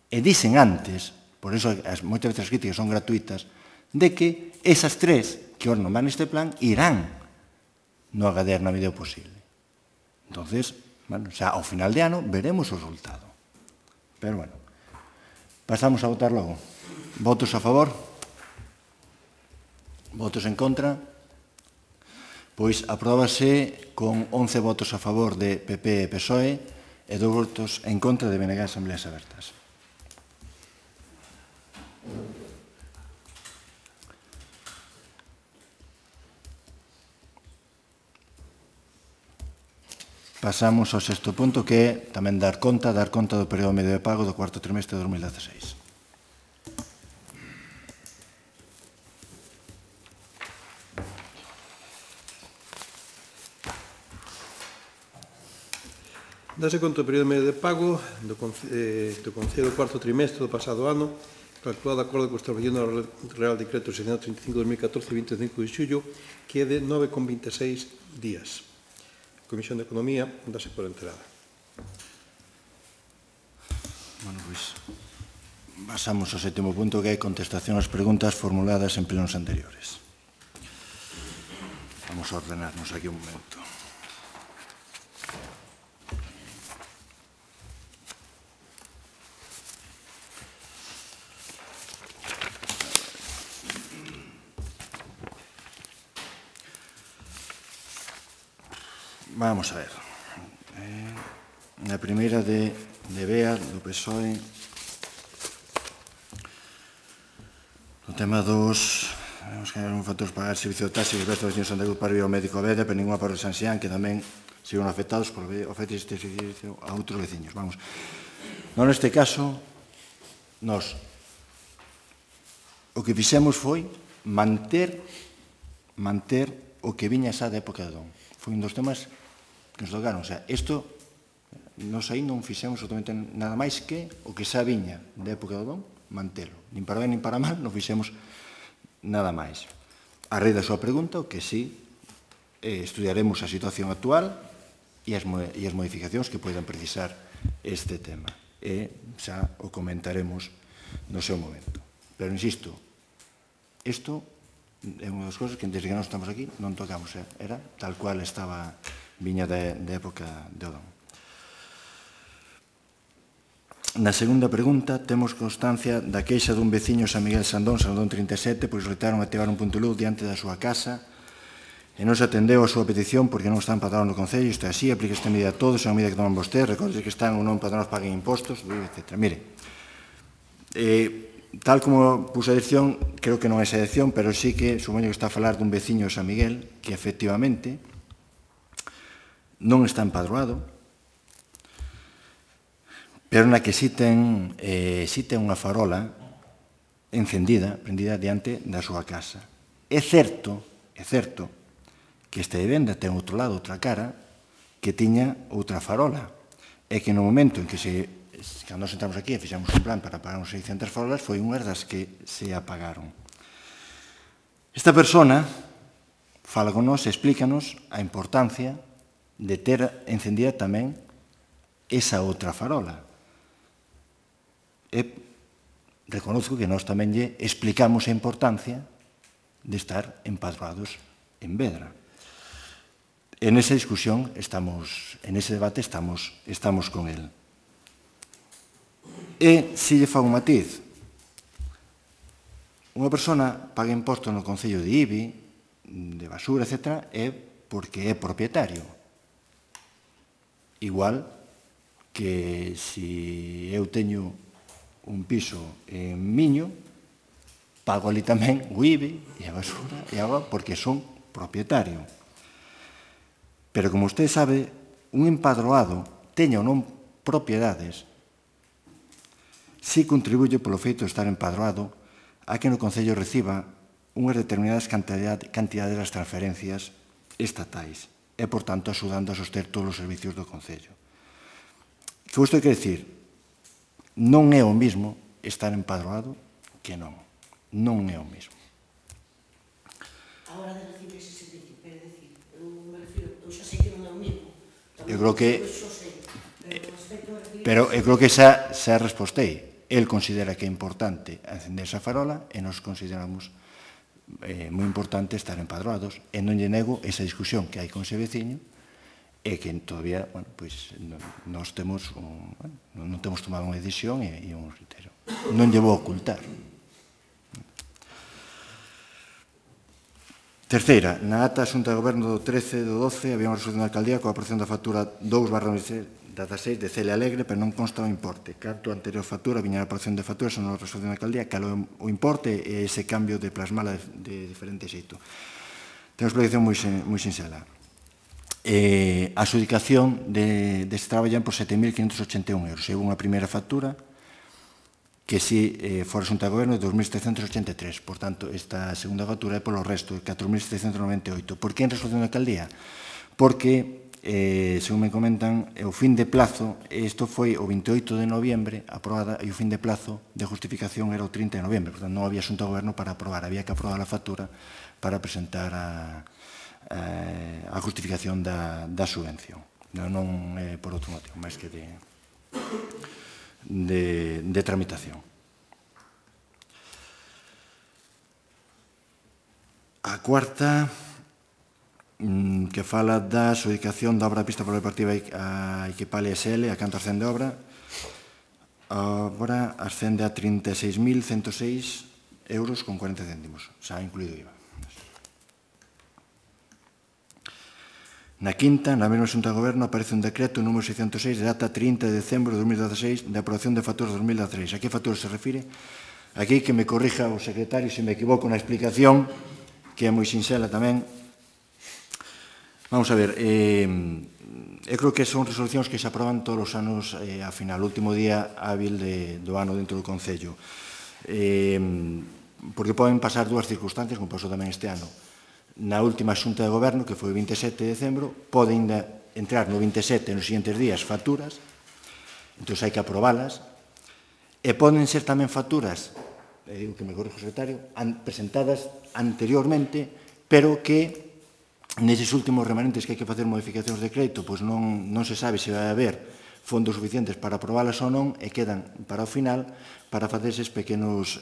E dicen antes, por iso moitas veces as críticas son gratuitas, de que esas 3 que non van neste plan irán no GADER na medida posible. Entonces, bueno, xa ao final de ano veremos o resultado. Pero bueno, pasamos a votar logo. Votos a favor? Votos en contra? Pois apróbase con 11 votos a favor de PP e PSOE e 2 votos en contra de BNG Asambleas Abertas. Pasamos ao 6º punto, que é tamén dar conta do período medio de pago do 4º trimestre de 2016. Dase conta do período medio de pago do Concello do 4º trimestre do pasado ano, calculado de acordo con a establecido no Real Decreto 635/2014, 25 de xullo, que é de 9,26 días. A Comisión de Economía dase por enterada. Bueno, pois, pasamos ao 7º punto, que é contestación ás preguntas formuladas en plenos anteriores. Vamos a ordenarnos aquí un momento. Vamos a ver. Na primeira de BEA, do PSOE, o tema dos factores para pagar servicio de taxi que presta o veciño Santa Cruz para ir ao médico a Veda, pero ninguna para o San Xián, que tamén sigon afectados por ofertas este servicio a outros veciños. Vamos. Non neste caso, nós o que fixemos foi manter o que viña xa da época de Don. Foi un dos temas que nos tocaron. O sea, isto, nos aí non fixemos absolutamente nada máis que o que xa viña da época de Don, mantelo. Nin para ben, nin para mal, non fixemos nada máis. A raíz da súa pregunta, o que sí, estudiaremos a situación actual e as modificacións que poidan precisar este tema. E xa o comentaremos no seu momento. Pero, insisto, isto é unha das cousas que desde que non estamos aquí non tocamos. Era tal cual estaba viña da época de Odón. Na segunda pregunta, temos constancia da queixa dun veciño San Miguel Sandón 37, pois retaron activar un punto de luz diante da súa casa e non se atendeu a súa petición porque non están empadronados no Concello. Isto é así, aplica esta medida a todos, é unha medida que toman vostedes, recorden que están ou non empadronados, paguen impostos, etc. Mire, tal como puse a dirección, creo que non é esa dirección, pero sí que supoño que está a falar dun veciño de San Miguel que efectivamente non está empadroado, pero na que sí ten unha farola encendida, prendida diante da súa casa. É certo que esta vivenda ten outro lado, outra cara, que tiña outra farola. É que no momento en que cando nos sentamos aquí e fixamos un plan para apagar uns 600 farolas, foi unhas das que se apagaron. Esta persona fala con nós e explícanos a importancia de ter encendida tamén esa outra farola. E reconozco que nós tamén lle explicamos a importancia de estar empadroados en Vedra. En esa discusión en ese debate estamos con el. E se lle fago un matiz, unha persona paga imposto no Concello de Ibi, de basura, etc., é porque é propietario. Igual que se eu teño un piso en Miño, pago ali tamén o IBI e a basura e a agua porque son propietario. Pero como usted sabe, un empadroado, teña ou non propiedades, si contribuye polo feito de estar empadroado a que no Concello reciba unhas determinadas cantidades das transferencias estatais e, por tanto, axudando a soster todos os servicios do Concello. Que isto quer dicir? Non é o mismo estar empadroado que non. Non é o mesmo. A hora de recibir ese servicio, quero dicir, eu xa sei que non é o mesmo. Eu creo que... Pero eu creo que xa respostei. El considera que é importante encender esa farola e nos consideramos moi importante estar empadroados e non lle nego esa discusión que hai con ese veciño e que todavía, bueno, pois, nós temos non temos tomado unha decisión e un criterio. Non lle vou ocultar. Terceira, na ata Xunta de Goberno do 13 do 12 había unha resolución da alcaldía coa aprobación da factura 2/16 de Celia Alegre, pero non consta o importe. Carto a anterior factura, viña a aprobación de facturas, son a resolución da alcaldía, calou o importe e ese cambio de plasmala de diferente xeito. Ten unha explicación moi sinxela. A adjudicación deste traballo por 7.581 euros. Houve unha primeira factura que si fora Xunta de Goberno de 2.783. Por tanto, esta segunda factura é polo resto, de 4.798. Por que en resolución da alcaldía? Porque según me comentan, o fin de plazo, isto foi o 28 de noviembre aprobada e o fin de plazo de justificación era o 30 de noviembre, portanto non había Xunta de Goberno para aprobar, había que aprobar a factura para presentar a justificación da subvención. Non é por outro motivo, máis que de tramitación. A cuarta que fala da adjudicación da obra da pista polideportiva a Equipal SL, a canto ascende a obra. A obra ascende a 36.106 euros con 40 céntimos, xa incluído IVA. Na quinta, na mesma Xunta de Goberno, aparece un decreto número 606 de data 30 de decembro de 2016 de aprobación de facturas 2013. A que facturas se refire? Aquí que me corrija o secretario se me equivoco na explicación, que é moi sinxela tamén. Vamos a ver, eu creo que son resolucións que se aproban todos os anos a final, o último día hábil do ano dentro do Concello. Porque poden pasar dúas circunstancias, como pasou tamén este ano. Na última Xunta de Goberno, que foi o 27 de decembro, poden entrar no 27 nos siguientes días facturas, entón hai que aprobalas, e poden ser tamén facturas, digo que me corrijo o secretario, presentadas anteriormente, pero que neses últimos remanentes que hai que facer modificacións de crédito, pois non se sabe se vai haber fondos suficientes para aprobalas ou non, e quedan para o final para facer eses pequenos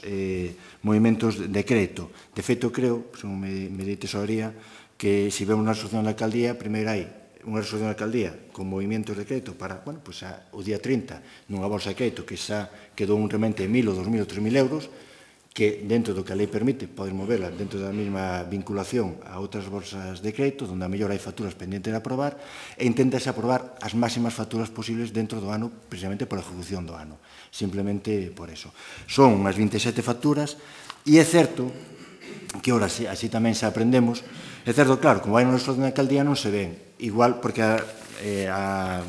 movimentos de crédito. De feito, creo, según me di tesorería, que se vemos na resolución da alcaldía, primeiro hai unha resolución da alcaldía con movimentos de crédito para, bueno, pois o día 30, nunha bolsa de crédito que xa quedou un remente de 1.000 ou 2.000 ou 3.000 euros, que dentro do que a lei permite poden moverla dentro da mesma vinculación a outras bolsas de crédito, onde a mellor hai facturas pendentes de aprobar, e inténtase aprobar as máximas facturas posibles dentro do ano, precisamente por a ejecución do ano. Simplemente por eso. Son unhas 27 facturas, e é certo que, ora, así tamén se aprendemos, é certo, claro, como vai na resolución da alcaldía non se ven, igual, porque a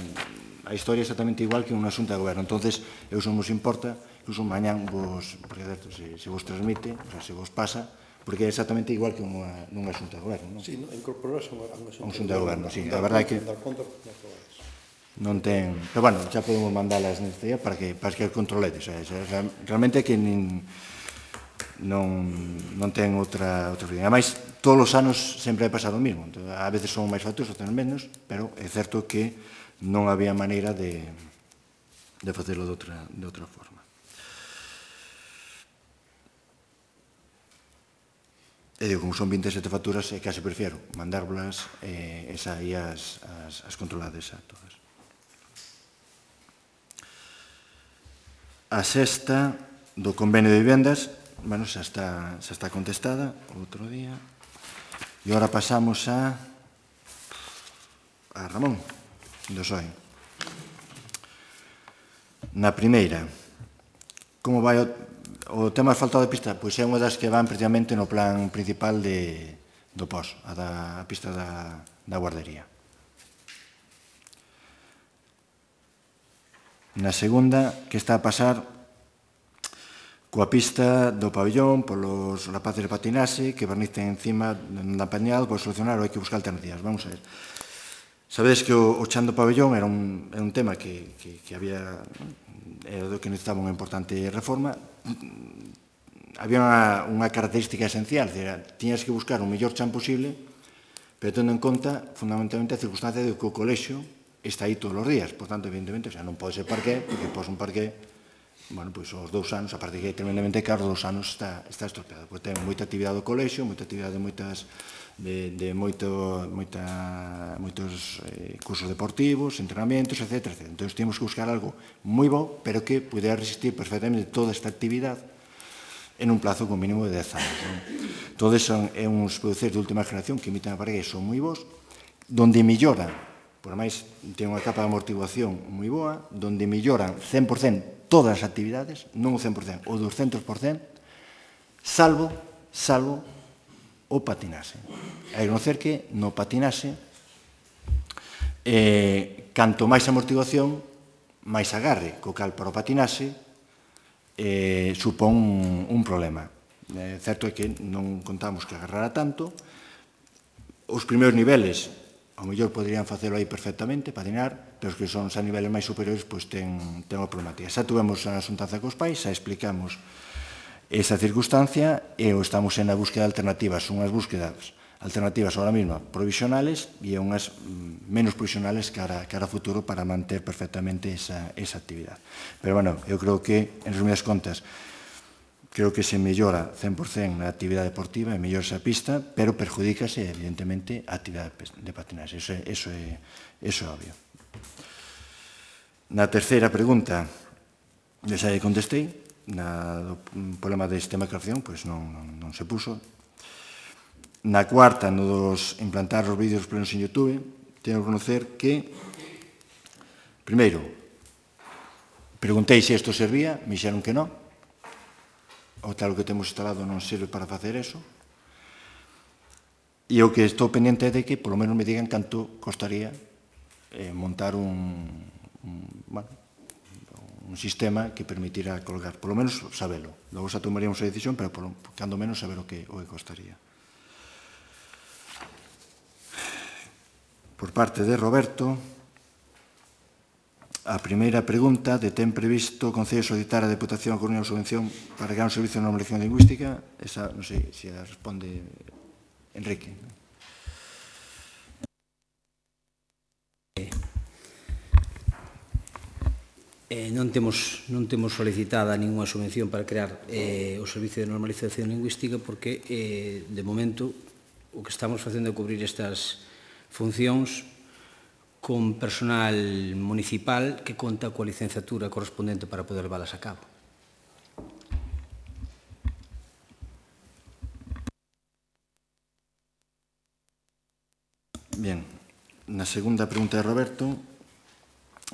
historia é exactamente igual que unha Xunta de Goberno. Entonces, eu non vos importa, incluso mañán vos, porque certo, se vos transmite, o sea, se vos pasa, porque é exactamente igual que nunha Xunta de Goberno, non? Sí, incorporarse a unha Xunta de Goberno, sí. A verdade é que non ten... Pero, bueno, xa podemos mandalas neste día para que controledes. Realmente é que non ten outra opción. Ademais, todos os anos sempre hai pasado o mismo. A veces son máis facturas, outras menos, pero é certo que non había maneira de facelo de outra forma. E digo, como son 27 facturas, case prefiero mandárbolas e aí as controlades a todas. A sexta do convenio de vivendas, bueno, xa está contestada outro día. E agora pasamos a Ramón, do PSOE. Na primeira, como vai o tema asfaltado de pista? Pois é unha das que van precisamente no plan principal do POS, a pista da guardería. Na segunda, que está a pasar coa pista do pabellón polos rapaces de patinaxe que barnicen encima da pañal, por solucionar ou hai que buscar alternativas. Vamos a ver. Sabedes que o chan do pabellón era un tema que había, era do que necesitaba unha importante reforma. Había unha característica esencial, tiñas que buscar o mellor chan posible, pero tendo en conta fundamentalmente a circunstancia de que o colexio está aí todos os días. Por tanto, evidentemente, non pode ser parqué, porque pos un parqué, bueno, pois os 2 anos, a parte que é tremendamente caro, os 2 anos está estropeado. Pois ten moita actividade do colexio, moita actividade de moitos cursos deportivos, entrenamentos, etc. Entón, temos que buscar algo moi bo, pero que pudera resistir perfectamente toda esta actividade en un plazo con mínimo de 10 anos. Entón, é uns produceres de última generación que emiten a parque, son moi bons, donde mellora, por máis ten unha capa de amortiguación moi boa, donde melloran 100% todas as actividades, non o 100%, o 200%, salvo o patinaxe. A reconocer que no patinaxe, canto máis amortiguación, máis agarre, co cal para o patinaxe supón un problema. Certo é que non contamos que agarrara tanto. Os primeiros niveles, ao mellor poderían facelo aí perfectamente, patinar, pero os que son xa niveles máis superiores, pois ten unha problemática. Xa tuvemos a xuntanza cos pais, xa explicamos esa circunstancia e estamos en a búsqueda de alternativas. Son unhas búsquedas alternativas ahora mesmo provisionales e unhas menos provisionales cara a futuro para manter perfectamente esa actividade. Pero, bueno, eu creo que, en resumidas contas, creo que se mellora 100% na actividade deportiva e mellora esa pista, pero perjudícase, evidentemente, a actividade de patinaxe. Eso é obvio. Na terceira pregunta, xa contestei, no problema de sistema de calefacción, pois non se puso. Na cuarta, no dos implantar os vídeos plenos en YouTube, teño que reconocer que, primeiro, preguntei se isto servía, me dixeron que non. O tal que temos instalado non sirve para facer eso. E o que estou pendiente é de que, polo menos, me digan canto costaría montar un sistema que permitira colgar, polo menos sabelo. Logo xa tomaríamos a decisión, pero cando menos saber o que costaría. Por parte de Roberto, a primeira pregunta de ten previsto o Concello solicitar a Deputación a Coruña a subvención para crear un servicio de normalización lingüística. Esa, non sei se a responde Enrique. Non temos solicitada ninguna subvención para crear o servicio de normalización lingüística porque, de momento, o que estamos facendo é cubrir estas funcións con personal municipal que conta coa licenciatura correspondente para poder leválas a cabo. Bien, na segunda pregunta de Roberto,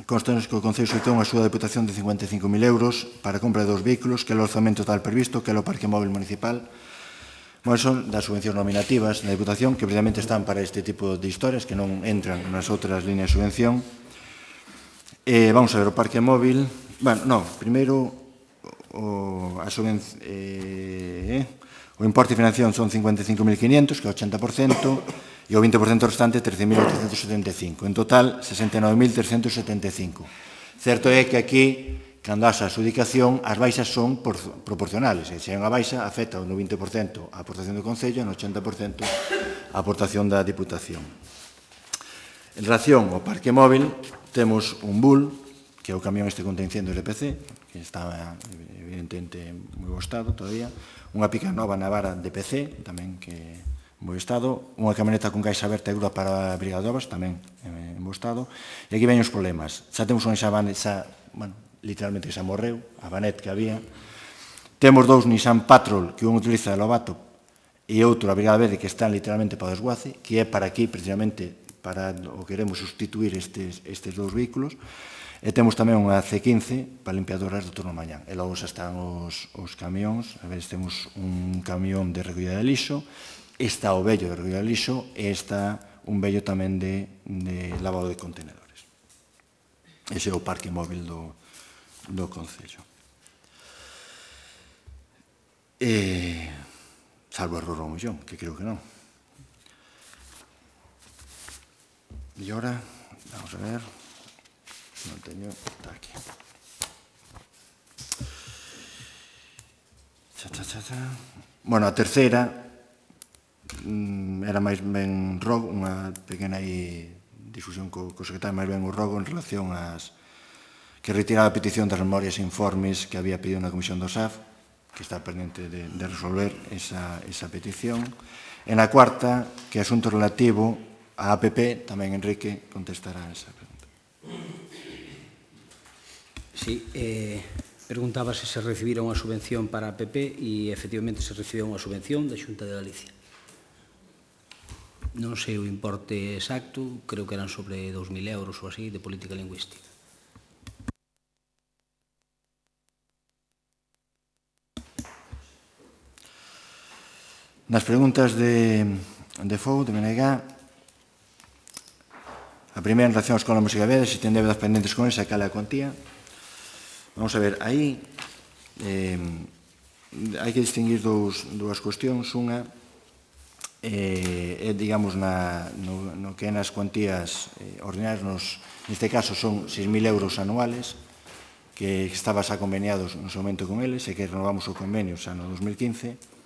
constanos que o Concello solicitou unha axuda de Deputación de 55.000 euros para a compra de 2 vehículos, que é o orzamento tal previsto, que é o parque móvil municipal. Son das subvencións nominativas da Deputación, que precisamente están para este tipo de historias, que non entran nas outras líneas de subvención. Vamos a ver o parque móvil. Primeiro, o importe de financiación son 55.500, que é o 80%, e o 20% restante 13.875. En total, 69.375. Certo é que aquí, cando haxa a adxudicación, as baixas son proporcionales. Se hai unha baixa, afecta no 20% a aportación do Concello e no 80% a aportación da Diputación. En relación ao parque móvil, temos un Bull, que é o camión este contra incendios LPC, que está evidentemente en moi bo estado todavía, unha pica nova Navara DPC, tamén que en bo estado, unha camioneta con caixa aberta e grúa para a Brigada de Obras, tamén en bo estado, e aquí veñen os problemas. Xa temos unha Xavan, literalmente xa morreu, a Vanet que había. Temos 2 Nissan Patrol, que un utiliza de Lobato e outro a Brigada Verde, que están literalmente para o desguace, que é para aquí, precisamente, para o que queremos sustituir estes 2 vehículos. E temos tamén unha C15 para limpiadoras do turno mañán. E logo xa están os camións. A ver, temos un camión de recollida de lixo, está o vello de recollida de lixo e está un vello tamén de lavado de contenedores. Ese é o parque móvil do Concello. Salvo error ao millón, que creo que non. E ahora, vamos a ver, non teño, está aquí. Bueno, a terceira era máis ben rogo, unha pequena discusión co secretario, máis ben o rogo en relación ás que retiraba a petición das memorias e informes que había pedido na Comisión do SAF, que está pendente de resolver esa petición. E na cuarta, que é asunto relativo a APP, tamén Enrique contestará esa pregunta. Sí, preguntaba se recibira unha subvención para a APP e, efectivamente, se recibiu unha subvención da Xunta de Galicia. Non sei o importe exacto, creo que eran sobre 2.000 euros ou así, de política lingüística. Nas preguntas de FOU, de BNG, a primeira en relación á Escola Música Veda, se ten débedas pendentes con esa, cal é a cuantía. Vamos a ver, aí hai que distinguir dúas cuestións. Unha é, digamos, no que é nas cuantías ordinarias, neste caso son 6.000 euros anuales, que estaba xa conveniados no seu momento con eles, e que renovamos o convenio xa no 2015.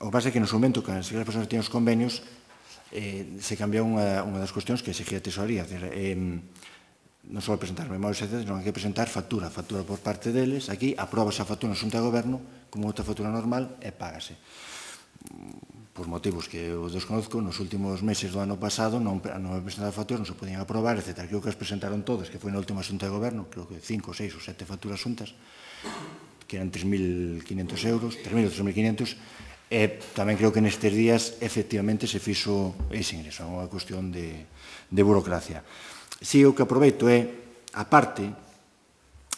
O que pasa é que no seu momento, cando as persoas que tiñan os convenios, se cambiou unha das cuestións que exigía a tesorería. non só presentar memorias, senón hai que presentar factura por parte deles. Aquí aprobase a factura na Xunta de Goberno como outra factura normal e págase. Por motivos que eu desconozco, nos últimos meses do ano pasado non me presentaron facturas, non se podían aprobar, etc. Creo que as presentaron todas, que foi na última Xunta de Goberno, creo que 5, 6 ou 7 facturas xuntas, que eran 3.500 euros, 3.000 ou 3.500, e tamén creo que nestes días efectivamente se fixo ese ingreso, é unha cuestión de burocracia. Si o que aproveito é, aparte,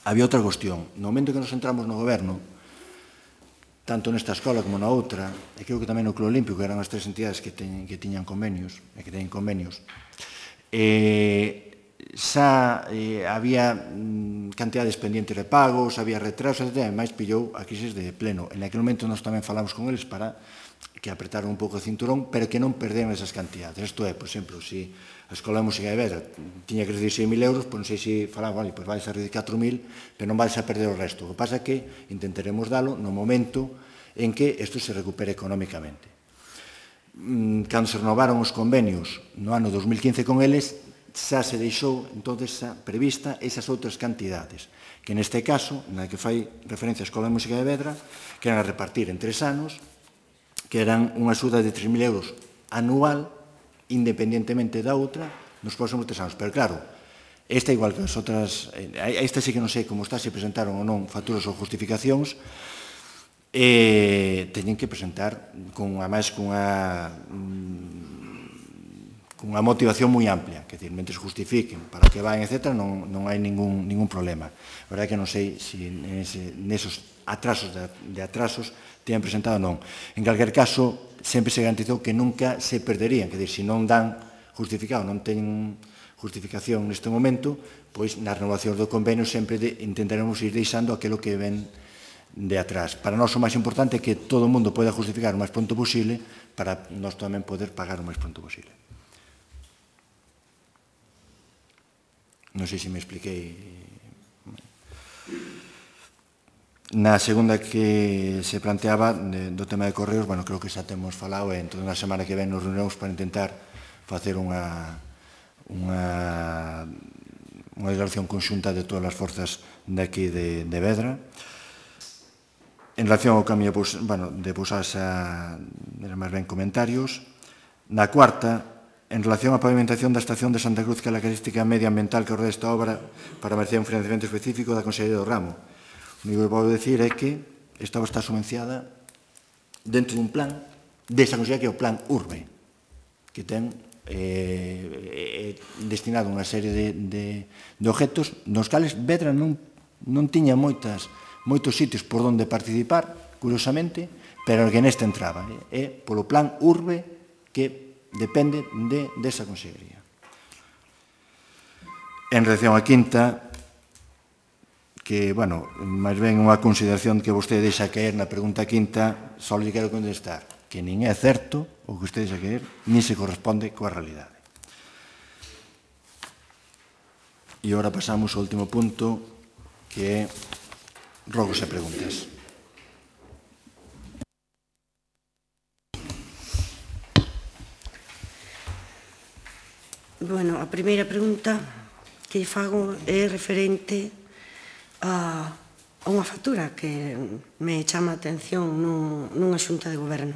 había outra cuestión. No momento que nos entramos no goberno, tanto nesta escola como na outra, e creo que tamén no Club Olímpico, que eran as tres entidades que tiñan convenios, e que teñen convenios, xa había cantidades pendientes de pagos, había retrasos, etc. E máis pillou a crisis de pleno. En aquel momento nós tamén falamos con eles para que apretaron un pouco o cinturón, pero que non perderan esas cantidades. Isto é, por exemplo, se a Escola de Música de Vedra tiña que recibir 6.000 euros, pois non sei se falaban, vale, pois vais a recibir 4.000, pero non vais a perder o resto. O que pasa é que intentaremos dalo no momento en que isto se recupere económicamente. Cando se renovaron os convenios no ano 2015 con eles, xa se deixou entonces prevista esas outras cantidades, que neste caso, na que fai referencia a Escola de Música de Vedra, que eran a repartir en 3 anos, que eran unha axuda de 3.000 euros anual, independentemente da outra, nos próximos 3 anos. Pero claro, esta igual que as outras, esta sí que non sei como está, se presentaron ou non facturas ou justificacións, teñen que presentar ademais cunha motivación moi amplia, que decir, mentre justifiquen para que van, etc., non hai ningún problema. A verdade é que non sei se nesos atrasos de atrasos teñan presentado ou non. En calquer caso, sempre se garantizou que nunca se perderían, que decir, se non dan justificado, non teñen justificación neste momento, pois nas renovacións do convenio sempre intentaremos ir deixando aquilo que ven de atrás. Para nós o máis importante é que todo o mundo poida justificar o máis pronto posible para nós tamén poder pagar o máis pronto posible. Non sei se me expliquei. Na segunda que se planteaba do tema de correos, bueno, creo que xa temos falado e entón na semana que ven nos reunimos para intentar facer unha declaración conxunta de todas as forzas de aquí de Vedra. En relación ao cambio de Pousadas, eran máis ben comentarios. Na cuarta, en relación á pavimentación da estación de Santa Cruz, que é a característica medioambiental que ordena esta obra para merecer un financiamento específico da Consellería do Ramo. O único que podo decir é que esta obra está subvenciada dentro dun plan desa consellería que é o Plan Urbe, que ten destinado unha serie de objetos nos cales Vedra non tiña moitos sitios por onde participar, curiosamente, pero que neste entraba. É polo Plan Urbe que depende desa consellería. En relación á quinta, que, bueno, máis ben unha consideración que vostede deixa caer na pregunta quinta, só lle quero contestar que nin é certo o que vostede deixa caer, nin se corresponde coa realidade. E agora pasamos ao último punto, que é rogos e preguntas. Bueno, a primeira pregunta que fago é referente a unha factura que me chama a atención nunha xunta de goberno.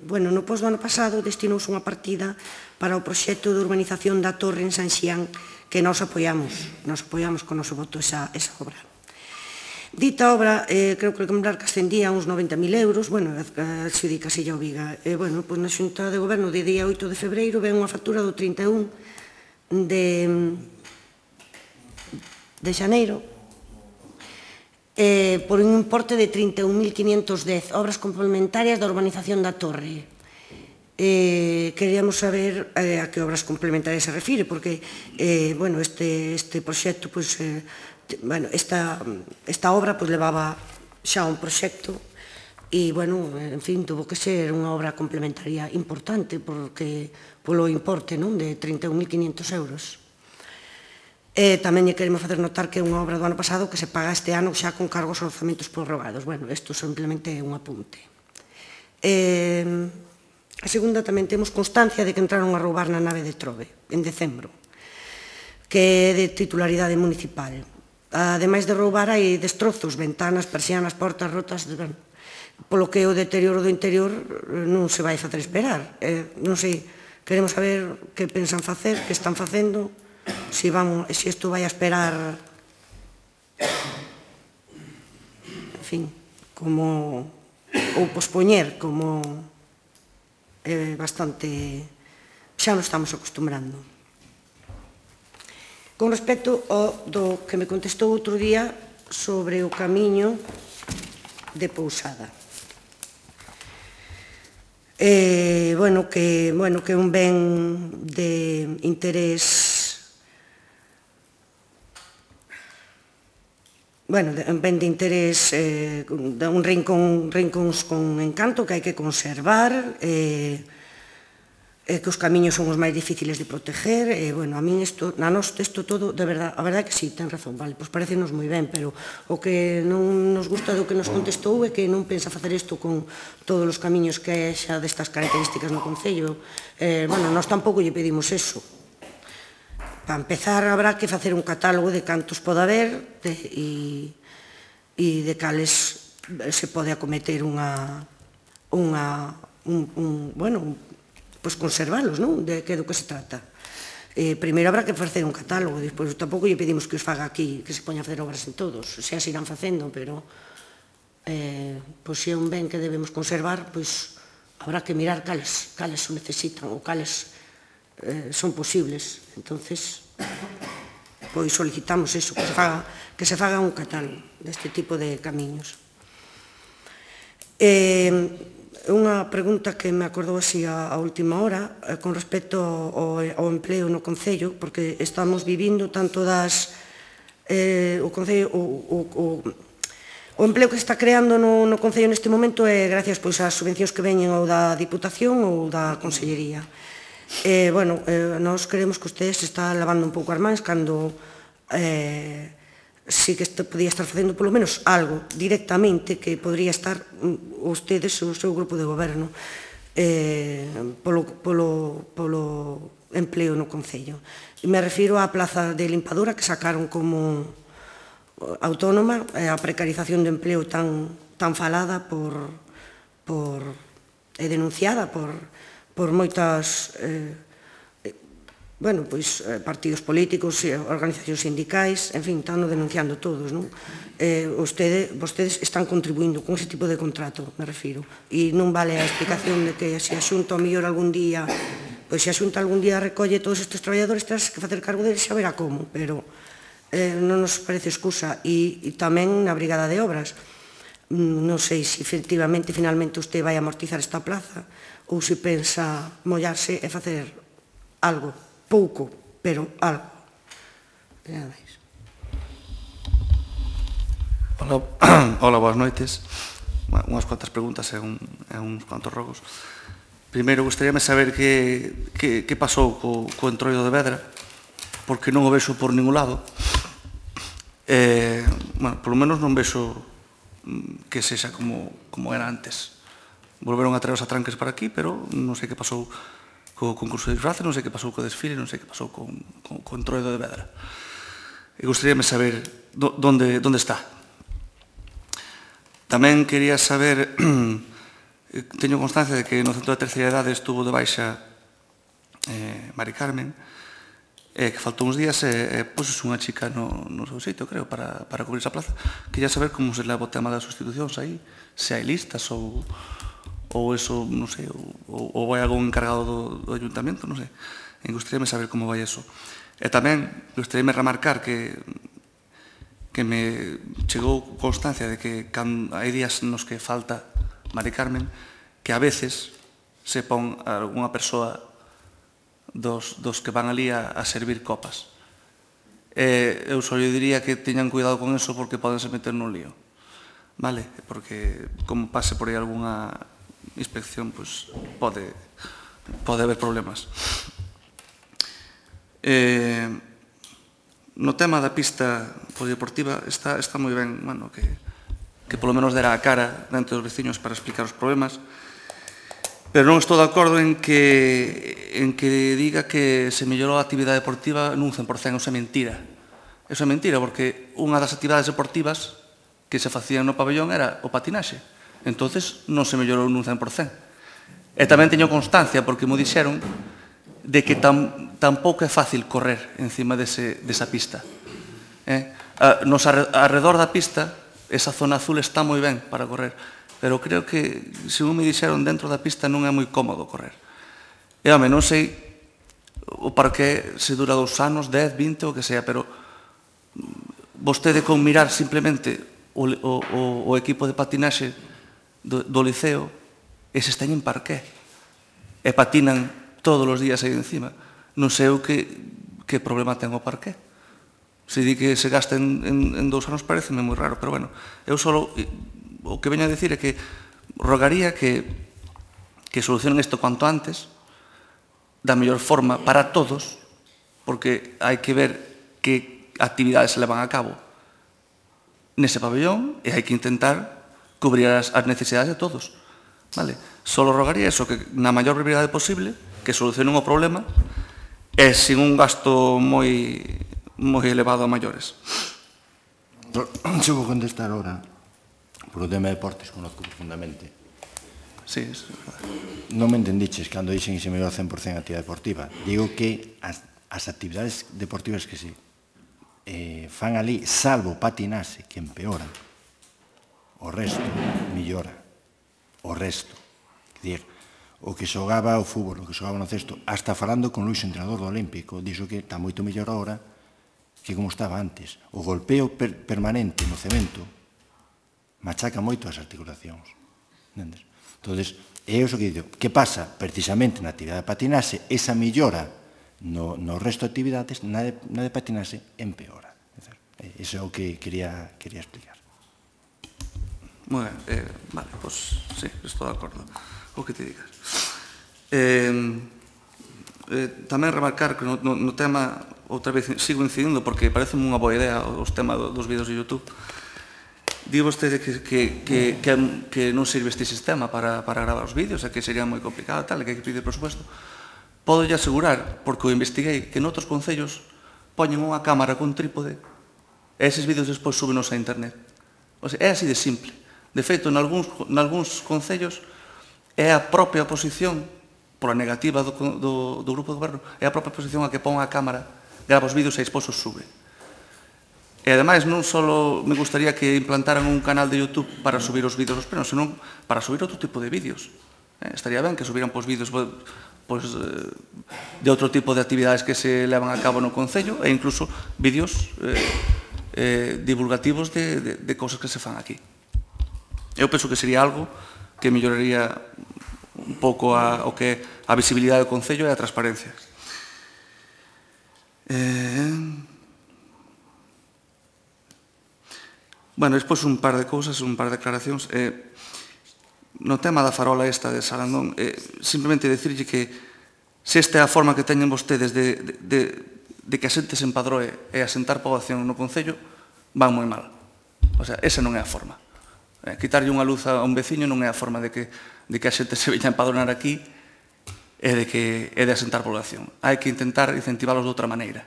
Bueno, no pos do ano pasado destinouse unha partida para o proxecto de urbanización da Torre en San Xián que nós apoiamos con o noso voto esa obra. Dita obra, creo que lembrar que ascendía a uns 90.000 euros, bueno, adxudícase xa o Viga. Bueno, pois na xunta de goberno de día 8 de febreiro ven unha factura do 31 de xaneiro por un importe de 31.510, obras complementarias da urbanización da Torre. Queríamos saber a que obras complementarias se refire, porque este proxecto, esta obra levaba xa un proxecto e, en fin, tuvo que ser unha obra complementaria importante polo importe de 31.500 euros. Tamén lle queremos facer notar que é unha obra do ano pasado que se paga este ano xa con cargos e orzamentos prorrogados. Bueno, isto simplemente é un apunte. A segunda, tamén temos constancia de que entraron a roubar na nave de Trove, en decembro. que é de titularidade municipal. Ademais de roubar, hai destrozos, ventanas, persianas, portas rotas, polo que o deterioro do interior non se vai facer esperar. Non sei, queremos saber que pensan facer, que están facendo, se isto vai a esperar, en fin, como, ou pospoñer, como bastante, xa nos estamos acostumbrando. Con respecto ao do que me contestou outro día sobre o camiño de Pousada. Bueno, que é un ben de interés, un ben de interés, un rincóns con encanto que hai que conservar, que os camiños son os máis difíciles de proteger, a min isto todo, de verdade, a verdade é que sí, ten razón, vale, pois parecenos moi ben, pero o que non nos gusta do que nos contestou é que non pensa facer isto con todos os camiños que xa destas características no Concello. Nós tampouco lle pedimos eso. Para empezar, habrá que facer un catálogo de cantos pode haber e de cales se pode acometer conservalos, non? De que do que se trata. Primeiro habrá que facer un catálogo, despois tampouco lle pedimos que os faga aquí, que se poña a facer obras en todos, xa se irán facendo, pero se é un ben que debemos conservar, pois habrá que mirar cales o necesitan ou cales son posibles. Entonces, pois solicitamos eso, que se faga un catálogo deste tipo de camiños. Unha pregunta que me acordou así a última hora con respecto ao empleo no Concello, porque estamos vivindo tanto o Concello, o empleo que se está creando no Concello neste momento é gracias ás subvencións que veñen ou da Diputación ou da Consellería. Nós creemos que usted se está lavando un pouco as mans cando sí que podía estar facendo polo menos algo directamente que podría estar ustedes, o seu grupo de goberno, polo empleo no Concello. Me refiro á plaza de limpadora que sacaron como autónoma, a precarización do empleo tan falada e denunciada por moitas partidos políticos, organizacións sindicais, en fin, están denunciando todos, non? Vostedes están contribuindo con ese tipo de contrato, me refiro, e non vale a explicación de que se a Xunta ao mellor algún día, pois se a Xunta algún día recolle todos estes traballadores, terás que facer cargo deles, xa verá como, pero non nos parece excusa. E tamén na Brigada de Obras, non sei se efectivamente, finalmente, usted vai amortizar esta plaza ou se pensa mollarse e facer algo. Pouco, pero algo. Nada máis. Hola, boas noites. Unhas cuantas preguntas e uns cuantos rogos. Primeiro, gustaríame saber que pasou co entroido de Vedra, porque non o vexo por ningún lado. Polo menos non vexo que sexa como era antes. Volveron a traer os atranques para aquí, pero non sei que pasou co concurso de disfraces, non sei que pasou co desfile, non sei que pasou co entroido de Vedra. E gustaríame saber onde está. Tamén quería saber, teño constancia de que no Centro de Terceira Idade estuvo de baixa Mari Carmen, que faltou uns días e pos unha chica no seu sitio, creo, para cubrir esa plaza. Quería saber como se leva o tema das sustitucións aí, se hai listas ou eso, non sei, ou vai algún encargado do ayuntamento, non sei. E gustaríame saber como vai eso. E tamén gustaríame remarcar que me chegou constancia de que hai días nos que falta Mari Carmen, que a veces se pon algunha persoa dos que van ali a servir copas. Eu só lle diría que teñan cuidado con eso porque podense meter nun lío. Vale? Porque como pase por aí algunha inspección, pois pode haber problemas. No tema da pista polideportiva está moi ben que polo menos dera a cara dentro dos veciños para explicar os problemas, Pero non estou de acordo en que diga que se mellorou a actividade deportiva nun 100%. Eso é mentira. Eso é mentira, porque unha das actividades deportivas que se facían no pabellón era o patinaxe. Entonces non se mellorou nun 100%. E tamén teño constancia, porque mo dixeron, de que tampouco é fácil correr encima desa pista. Nos arredor da pista, esa zona azul está moi ben para correr, pero creo que, según me dixeron, dentro da pista non é moi cómodo correr. E, home, non sei o parque se dura 2 anos, 10, 20, o que sea, pero vostede con mirar simplemente o equipo de patinaxe do liceo, eses teñen parqué e patinan todos os días aí encima. Non sei o que problema ten o parqué. Se di que se gasta en 2 anos pareceme moi raro, pero bueno, eu só o que veño a decir é que rogaría que solucionen isto cuanto antes, da mellor forma para todos, porque hai que ver que actividades se levan a cabo nese pabellón e hai que intentar cubrir as necesidades de todos. Só rogaría eso, que na maior brevidade posible, que solucionen o problema e sin un gasto moi elevado a maiores. Se vou contestar ahora por o tema de deportes, conozco profundamente. Sí. Non me entendiches cando dixen que se mellora 100% a actividade deportiva. Digo que as actividades deportivas que se fan ali, salvo patinase, que empeoran, o resto mellora. O resto. Quer dizer, o que xogaba o fútbol, o que xogaba no cesto, hasta falando con Luis, entrenador do Olímpico, dixo que está moito mellor agora que como estaba antes. O golpeo permanente no cemento machaca moito as articulacións. Entendes? Entón, é iso que digo. Que pasa? Precisamente na actividade de patinaxe, esa mellora no resto de actividades, na de patinaxe, empeora. Iso é o que quería explicar. Moi ben, vale, pois sí, estou de acordo co que te digas. Tamén remarcar que no tema, outra vez sigo incidindo, porque parece unha boa idea os temas dos vídeos de YouTube. Di vostede que non sirve este sistema para gravar os vídeos, e que sería moi complicado, tal, que hai que pedir presupuesto. Podo lle asegurar, porque o investiguei, que noutros concellos poñen unha cámara con trípode e eses vídeos despois súbenos a internet. O sea, é así de simple. De feito, nalgúns concellos é a propia oposición, pola negativa do grupo de goberno, é a propia oposición a que pon a cámara, grava os vídeos e despois os sube. E, ademais, non só me gustaría que implantaran un canal de YouTube para subir os vídeos aos plenos, senón para subir outro tipo de vídeos. Estaría ben que subiran vídeos de outro tipo de actividades que se levan a cabo no Concello e incluso vídeos divulgativos de cousas que se fan aquí. Eu penso que sería algo que melloraría un pouco a visibilidade do Concello e a transparencia. Bueno, despois un par de cousas, un par de declaracións. No tema da farola esta de Sarandón, simplemente dicirlle que se esta é a forma que teñen vostedes de que a xente se empadroe e asentar poboación no Concello, van moi mal. O sea, esa non é a forma. Quitarlle unha luz a un veciño non é a forma de que a xente se veña a empadronar aquí e de asentar poboación. Hai que intentar incentivalos de outra maneira.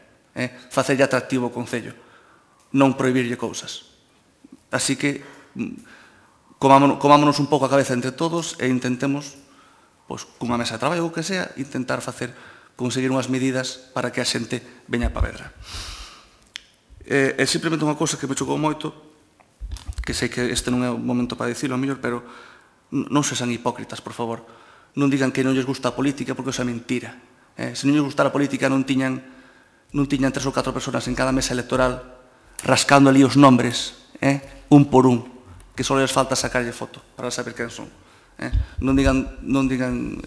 Facerlle atractivo o Concello, non prohibirlle cousas. Así que comámonos un pouco a cabeza entre todos e intentemos, cunha mesa de traballo ou que sea, intentar conseguir unhas medidas para que a xente veña para Vedra. E simplemente unha cousa que me chocou moito, que sei que este non é o momento para dicilo, a mellor, pero non sexan hipócritas, por favor. Non digan que non lles gusta a política, porque eso é mentira. Se non lles gustara a política non tiñan 3 ou 4 personas en cada mesa electoral rascando ali os nombres, un por un, que só les falta sacarlle foto para saber quen son. Non digan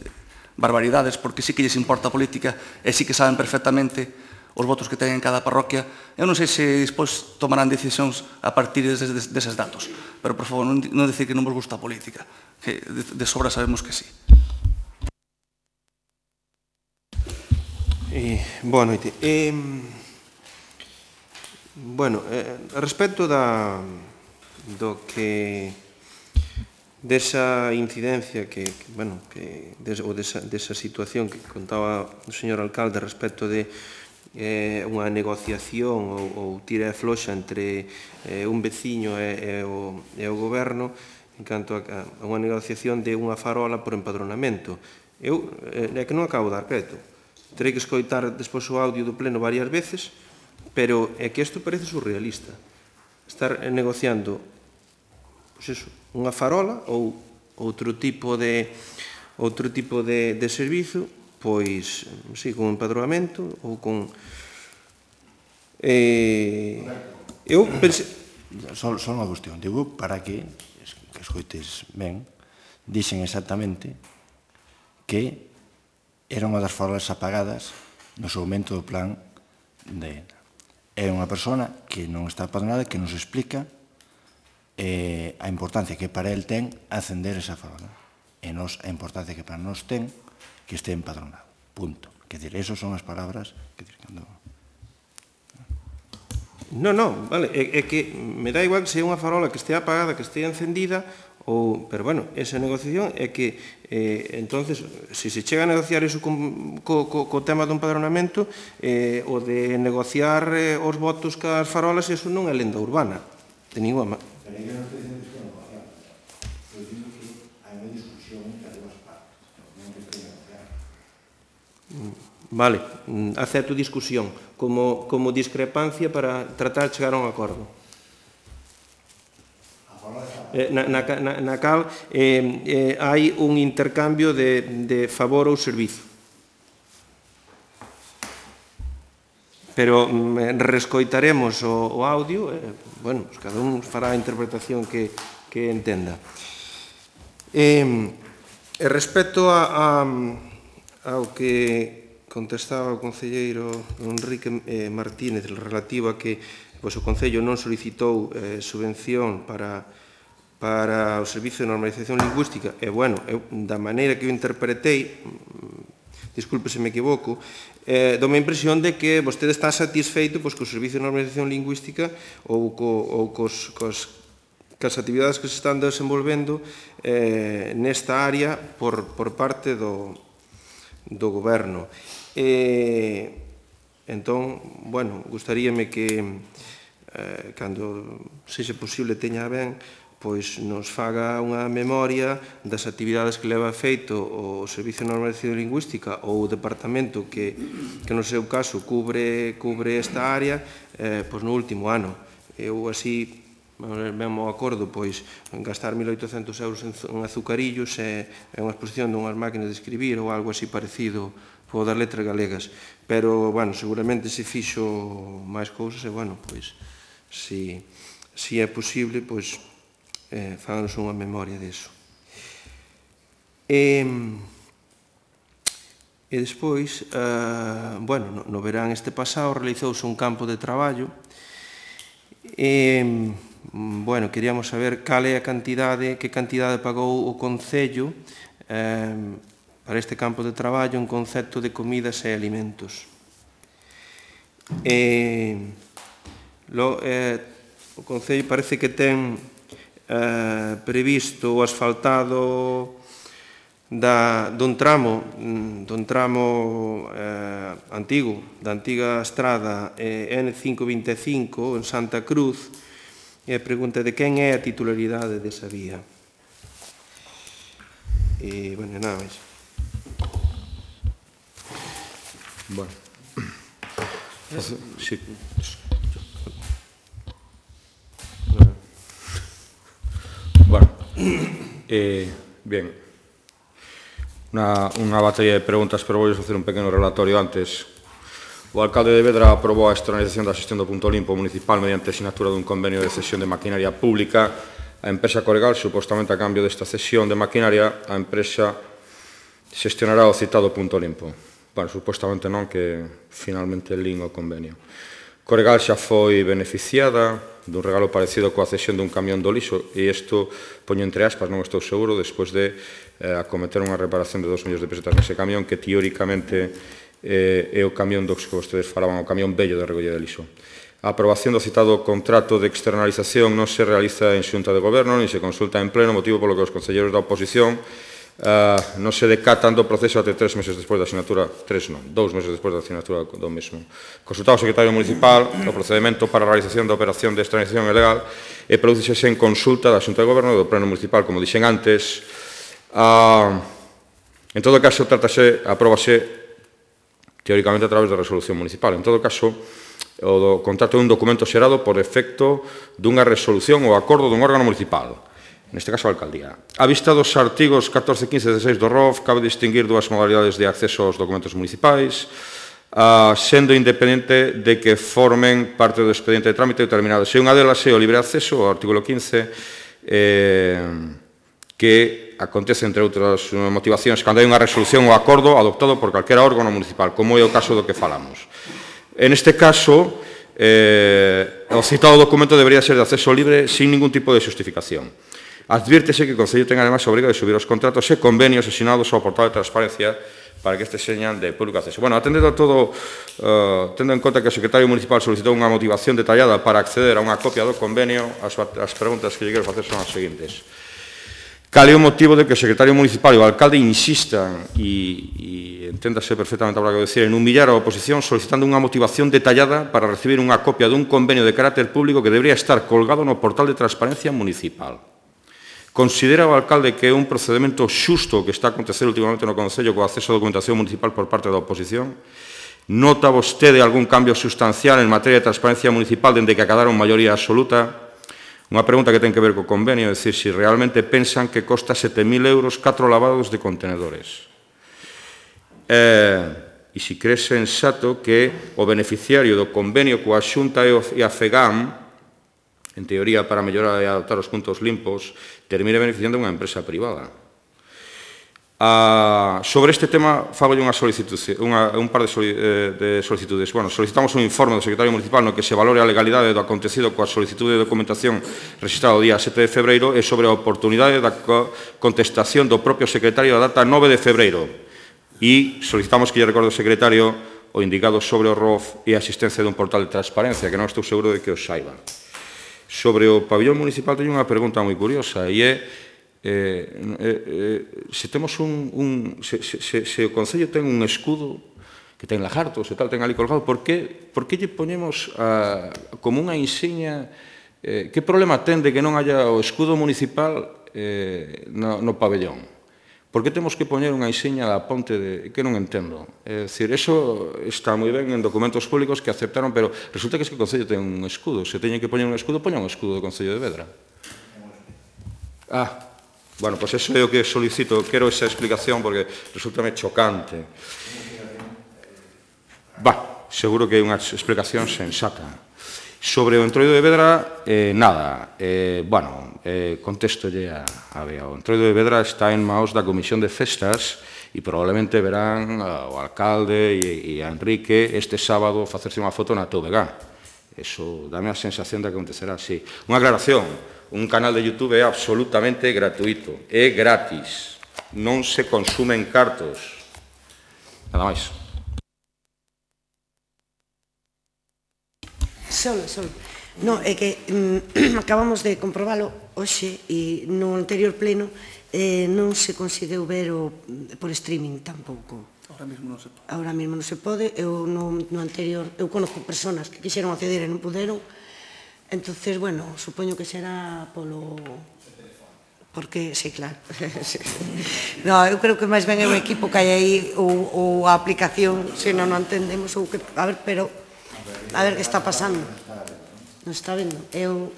barbaridades, porque sí que lles importa a política e sí que saben perfectamente os votos que teñen en cada parroquia. Eu non sei se despois tomarán decisións a partir deses datos, pero, por favor, non dicir que non vos gusta a política, que de sobra sabemos que sí. Boa noite. Bueno, respecto do que desa incidencia ou desa situación que contaba o señor alcalde respecto de unha negociación ou tira e floxa entre un veciño e o goberno en canto a unha negociación de unha farola por empadronamento. É que non acabo de dar crédito. Terei que escoitar despois o audio do pleno varias veces, pero é que isto parece surrealista. Estar negociando unha farola ou outro tipo de servizo, pois, sí, con empadroamento ou con... Eu pensei... Só unha cuestión. Digo, para que escoites ben, dixen exactamente que era unha das farolas apagadas no seguimento do plan de... É unha persona que non está empadronada, que nos explica a importancia que para el ten acender esa farola. E a importancia que para nós ten que este empadronado. Punto. Quer dizer, esas son as palabras que... Non, vale, é que me dá igual que sea unha farola que estea apagada, que estea encendida, pero, bueno, esa negociación é que, entonces, se chega a negociar iso co tema do empadronamento, o de negociar os votos cas farolas, iso non é lenda urbana, de ninguna manera. Pero eu non estou dicindo que estou negociando. Estou dicindo que hai unha discusión entre as dúas partes. Non que estou negociando. Vale, acepto discusión como discrepancia para tratar de chegar a un acordo. Na cal hai un intercambio de favor ou servizo. Pero rescoitaremos o audio, bueno, cada un fará a interpretación que entenda. Respecto ao que contestaba o concelleiro Enrique Martínez relativo a que o Concello non solicitou subvención para o Servicio de Normalización Lingüística, e, bueno, da maneira que eu interpretei, disculpe se me equivoco, dome a impresión de que vostede está satisfeito co Servicio de Normalización Lingüística ou cas actividades que se están desenvolvendo nesta área por parte do Goberno. Entón, bueno, gustaríame que, cando sexa posible teña ben, pois nos faga unha memoria das actividades que leva feito o Servicio de Normalización Lingüística ou o Departamento que no seu caso cubre esta área pois no último ano. Eu así, ben mo acordo, pois gastar 1.800 euros en azucarillos é unha exposición dunhas máquinas de escribir ou algo así parecido por das letras galegas. Pero, bueno, seguramente se fixo máis cousas e, bueno, pois, se é posible, pois, fáganos unha memoria disso. E despois, bueno, no verán este pasado realizouse un campo de traballo e, bueno, queríamos saber cal é a cantidade, que cantidade pagou o Concello para este campo de traballo en concepto de comidas e alimentos. O Concello parece que ten previsto o asfaltado dun tramo antigo, da antiga estrada N525 en Santa Cruz, e a pregunta de quen é a titularidade desa vía. E, bueno, nada máis. Bueno. Sí. Bueno. Bien. Unha batería de preguntas, pero vou facer un pequeno relatorio antes. O alcalde de Vedra aprobou a externalización da xestión do punto limpo municipal mediante a sinatura dun convenio de cesión de maquinaria pública. A empresa Coregal, supostamente a cambio desta cesión de maquinaria, a empresa xestionará o citado punto limpo. Bueno, supostamente non, que finalmente lin o convenio. Coregal xa foi beneficiada dun regalo parecido coa cesión dun camión do lixo, e isto poño entre aspas, non estou seguro, despois de acometer unha reparación de 2 millóns de pesetas nese camión, que teóricamente é o camión dos que vostedes falaban, o camión vello de recollida de lixo. A aprobación do citado contrato de externalización non se realiza en xunta de goberno, nin se consulta en pleno, motivo polo que os concelleiros da oposición non se decatan do proceso até 3 meses despois da asignatura, 2 meses despois da asignatura do mesmo. Consultado o secretario municipal, o procedimento para a realización da operación de externalización é legal e prodúcese en consulta da xunta de goberno e do pleno municipal, como dixen antes. En todo caso, apróbase teóricamente a través da resolución municipal. En todo caso, o contrato é un documento xerado por efecto dunha resolución ou acordo dun órgano municipal, neste caso a alcaldía. A vista dos artigos 14, 15 e 16 do ROF, cabe distinguir dúas modalidades de acceso aos documentos municipais, sendo independente de que formen parte do expediente de trámite determinado. Se unha delas é o libre acceso, o artículo 15, que acontece, entre outras motivacións, cando hai unha resolución ou acordo adoptado por calquera órgano municipal, como é o caso do que falamos. En este caso, o citado documento debería ser de acceso libre sin ningún tipo de xustificación. Adviértese que o Concello ten además a obriga de subir os contratos e convenios asignados ao portal de transparencia para que este señan de público acceso. Bueno, atendendo a todo, tendo en conta que o secretario municipal solicitou unha motivación detallada para acceder a unha copia do convenio, as preguntas que lle quero facer son as seguintes. Cal é o motivo de que o secretario municipal e o alcalde insistan, e enténdase perfectamente a que decir, en humillar a oposición solicitando unha motivación detallada para recibir unha copia dun convenio de carácter público que debería estar colgado no portal de transparencia municipal? Considera o alcalde que é un procedimento xusto que está a acontecer últimamente no Concello co acceso a documentación municipal por parte da oposición? Nota vostede algún cambio sustancial en materia de transparencia municipal dende que acadaron maioría absoluta? Unha pregunta que ten que ver co convenio, é dicir, se realmente pensan que costa 7.000 euros 4 lavados de contenedores. E se crees sensato que o beneficiario do convenio coa Xunta e a FEGAM, en teoría para mellorar e adoptar os puntos limpos, termine beneficiando unha empresa privada. Sobre este tema, fago un par de solicitudes. Bueno, solicitamos un informe do secretario municipal no que se valore a legalidade do acontecido coa solicitude de documentación registrada o día 7 de febreiro e sobre a oportunidade da contestación do propio secretario a data 9 de febreiro. E solicitamos que lle recorde ao secretario o indicado sobre o ROF e a existencia dun portal de transparencia, que non estou seguro de que os saiba. Sobre o pabillón municipal teño unha pregunta moi curiosa e é se temos se o Concello ten un escudo que ten lagartos e tal, ten ali colgado, por que lle ponemos como unha insignia? Que problema ten de que non haya o escudo municipal no pabellón? Por que temos que poñer unha insignia da ponte que non entendo? É dicir, eso está moi ben en documentos públicos que aceptaron, pero resulta que o Concello ten un escudo. Se teñen que poñer un escudo, poñan un escudo do Concello de Vedra. Bueno, pois eso é o que solicito, quero esa explicación porque resultame chocante. Seguro que é unha explicación sensata. Sobre o Entroido de Vedra, nada. Contestolle a Bea. O Entroido de Vedra está en maos da Comisión de Festas e probablemente verán ao alcalde e a Enrique este sábado facerse unha foto na TVG. Eso dame a sensación de que acontecerá así. Unha aclaración. Un canal de YouTube é absolutamente gratuito, é gratis, non se consumen cartos. Nada máis. Solo. No, é que acabamos de comprobalo hoxe e no anterior pleno non se conseguiu ver por streaming tampouco. Ahora mesmo non se pode. Eu no anterior, eu conozco personas que quixeron acceder e non puderon. Entonces, bueno, supoño que será polo... Porque, sí, claro. No, eu creo que máis ben é o equipo que hai aí ou a aplicación, se non entendemos ou que... A ver, pero... A ver que está pasando. Non está vendo? Eu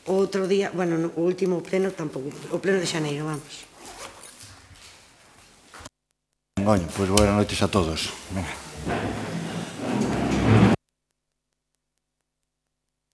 outro día... Bueno, o último pleno tampouco. O pleno de xaneiro, vamos. Pois boas noites a todos. Venga.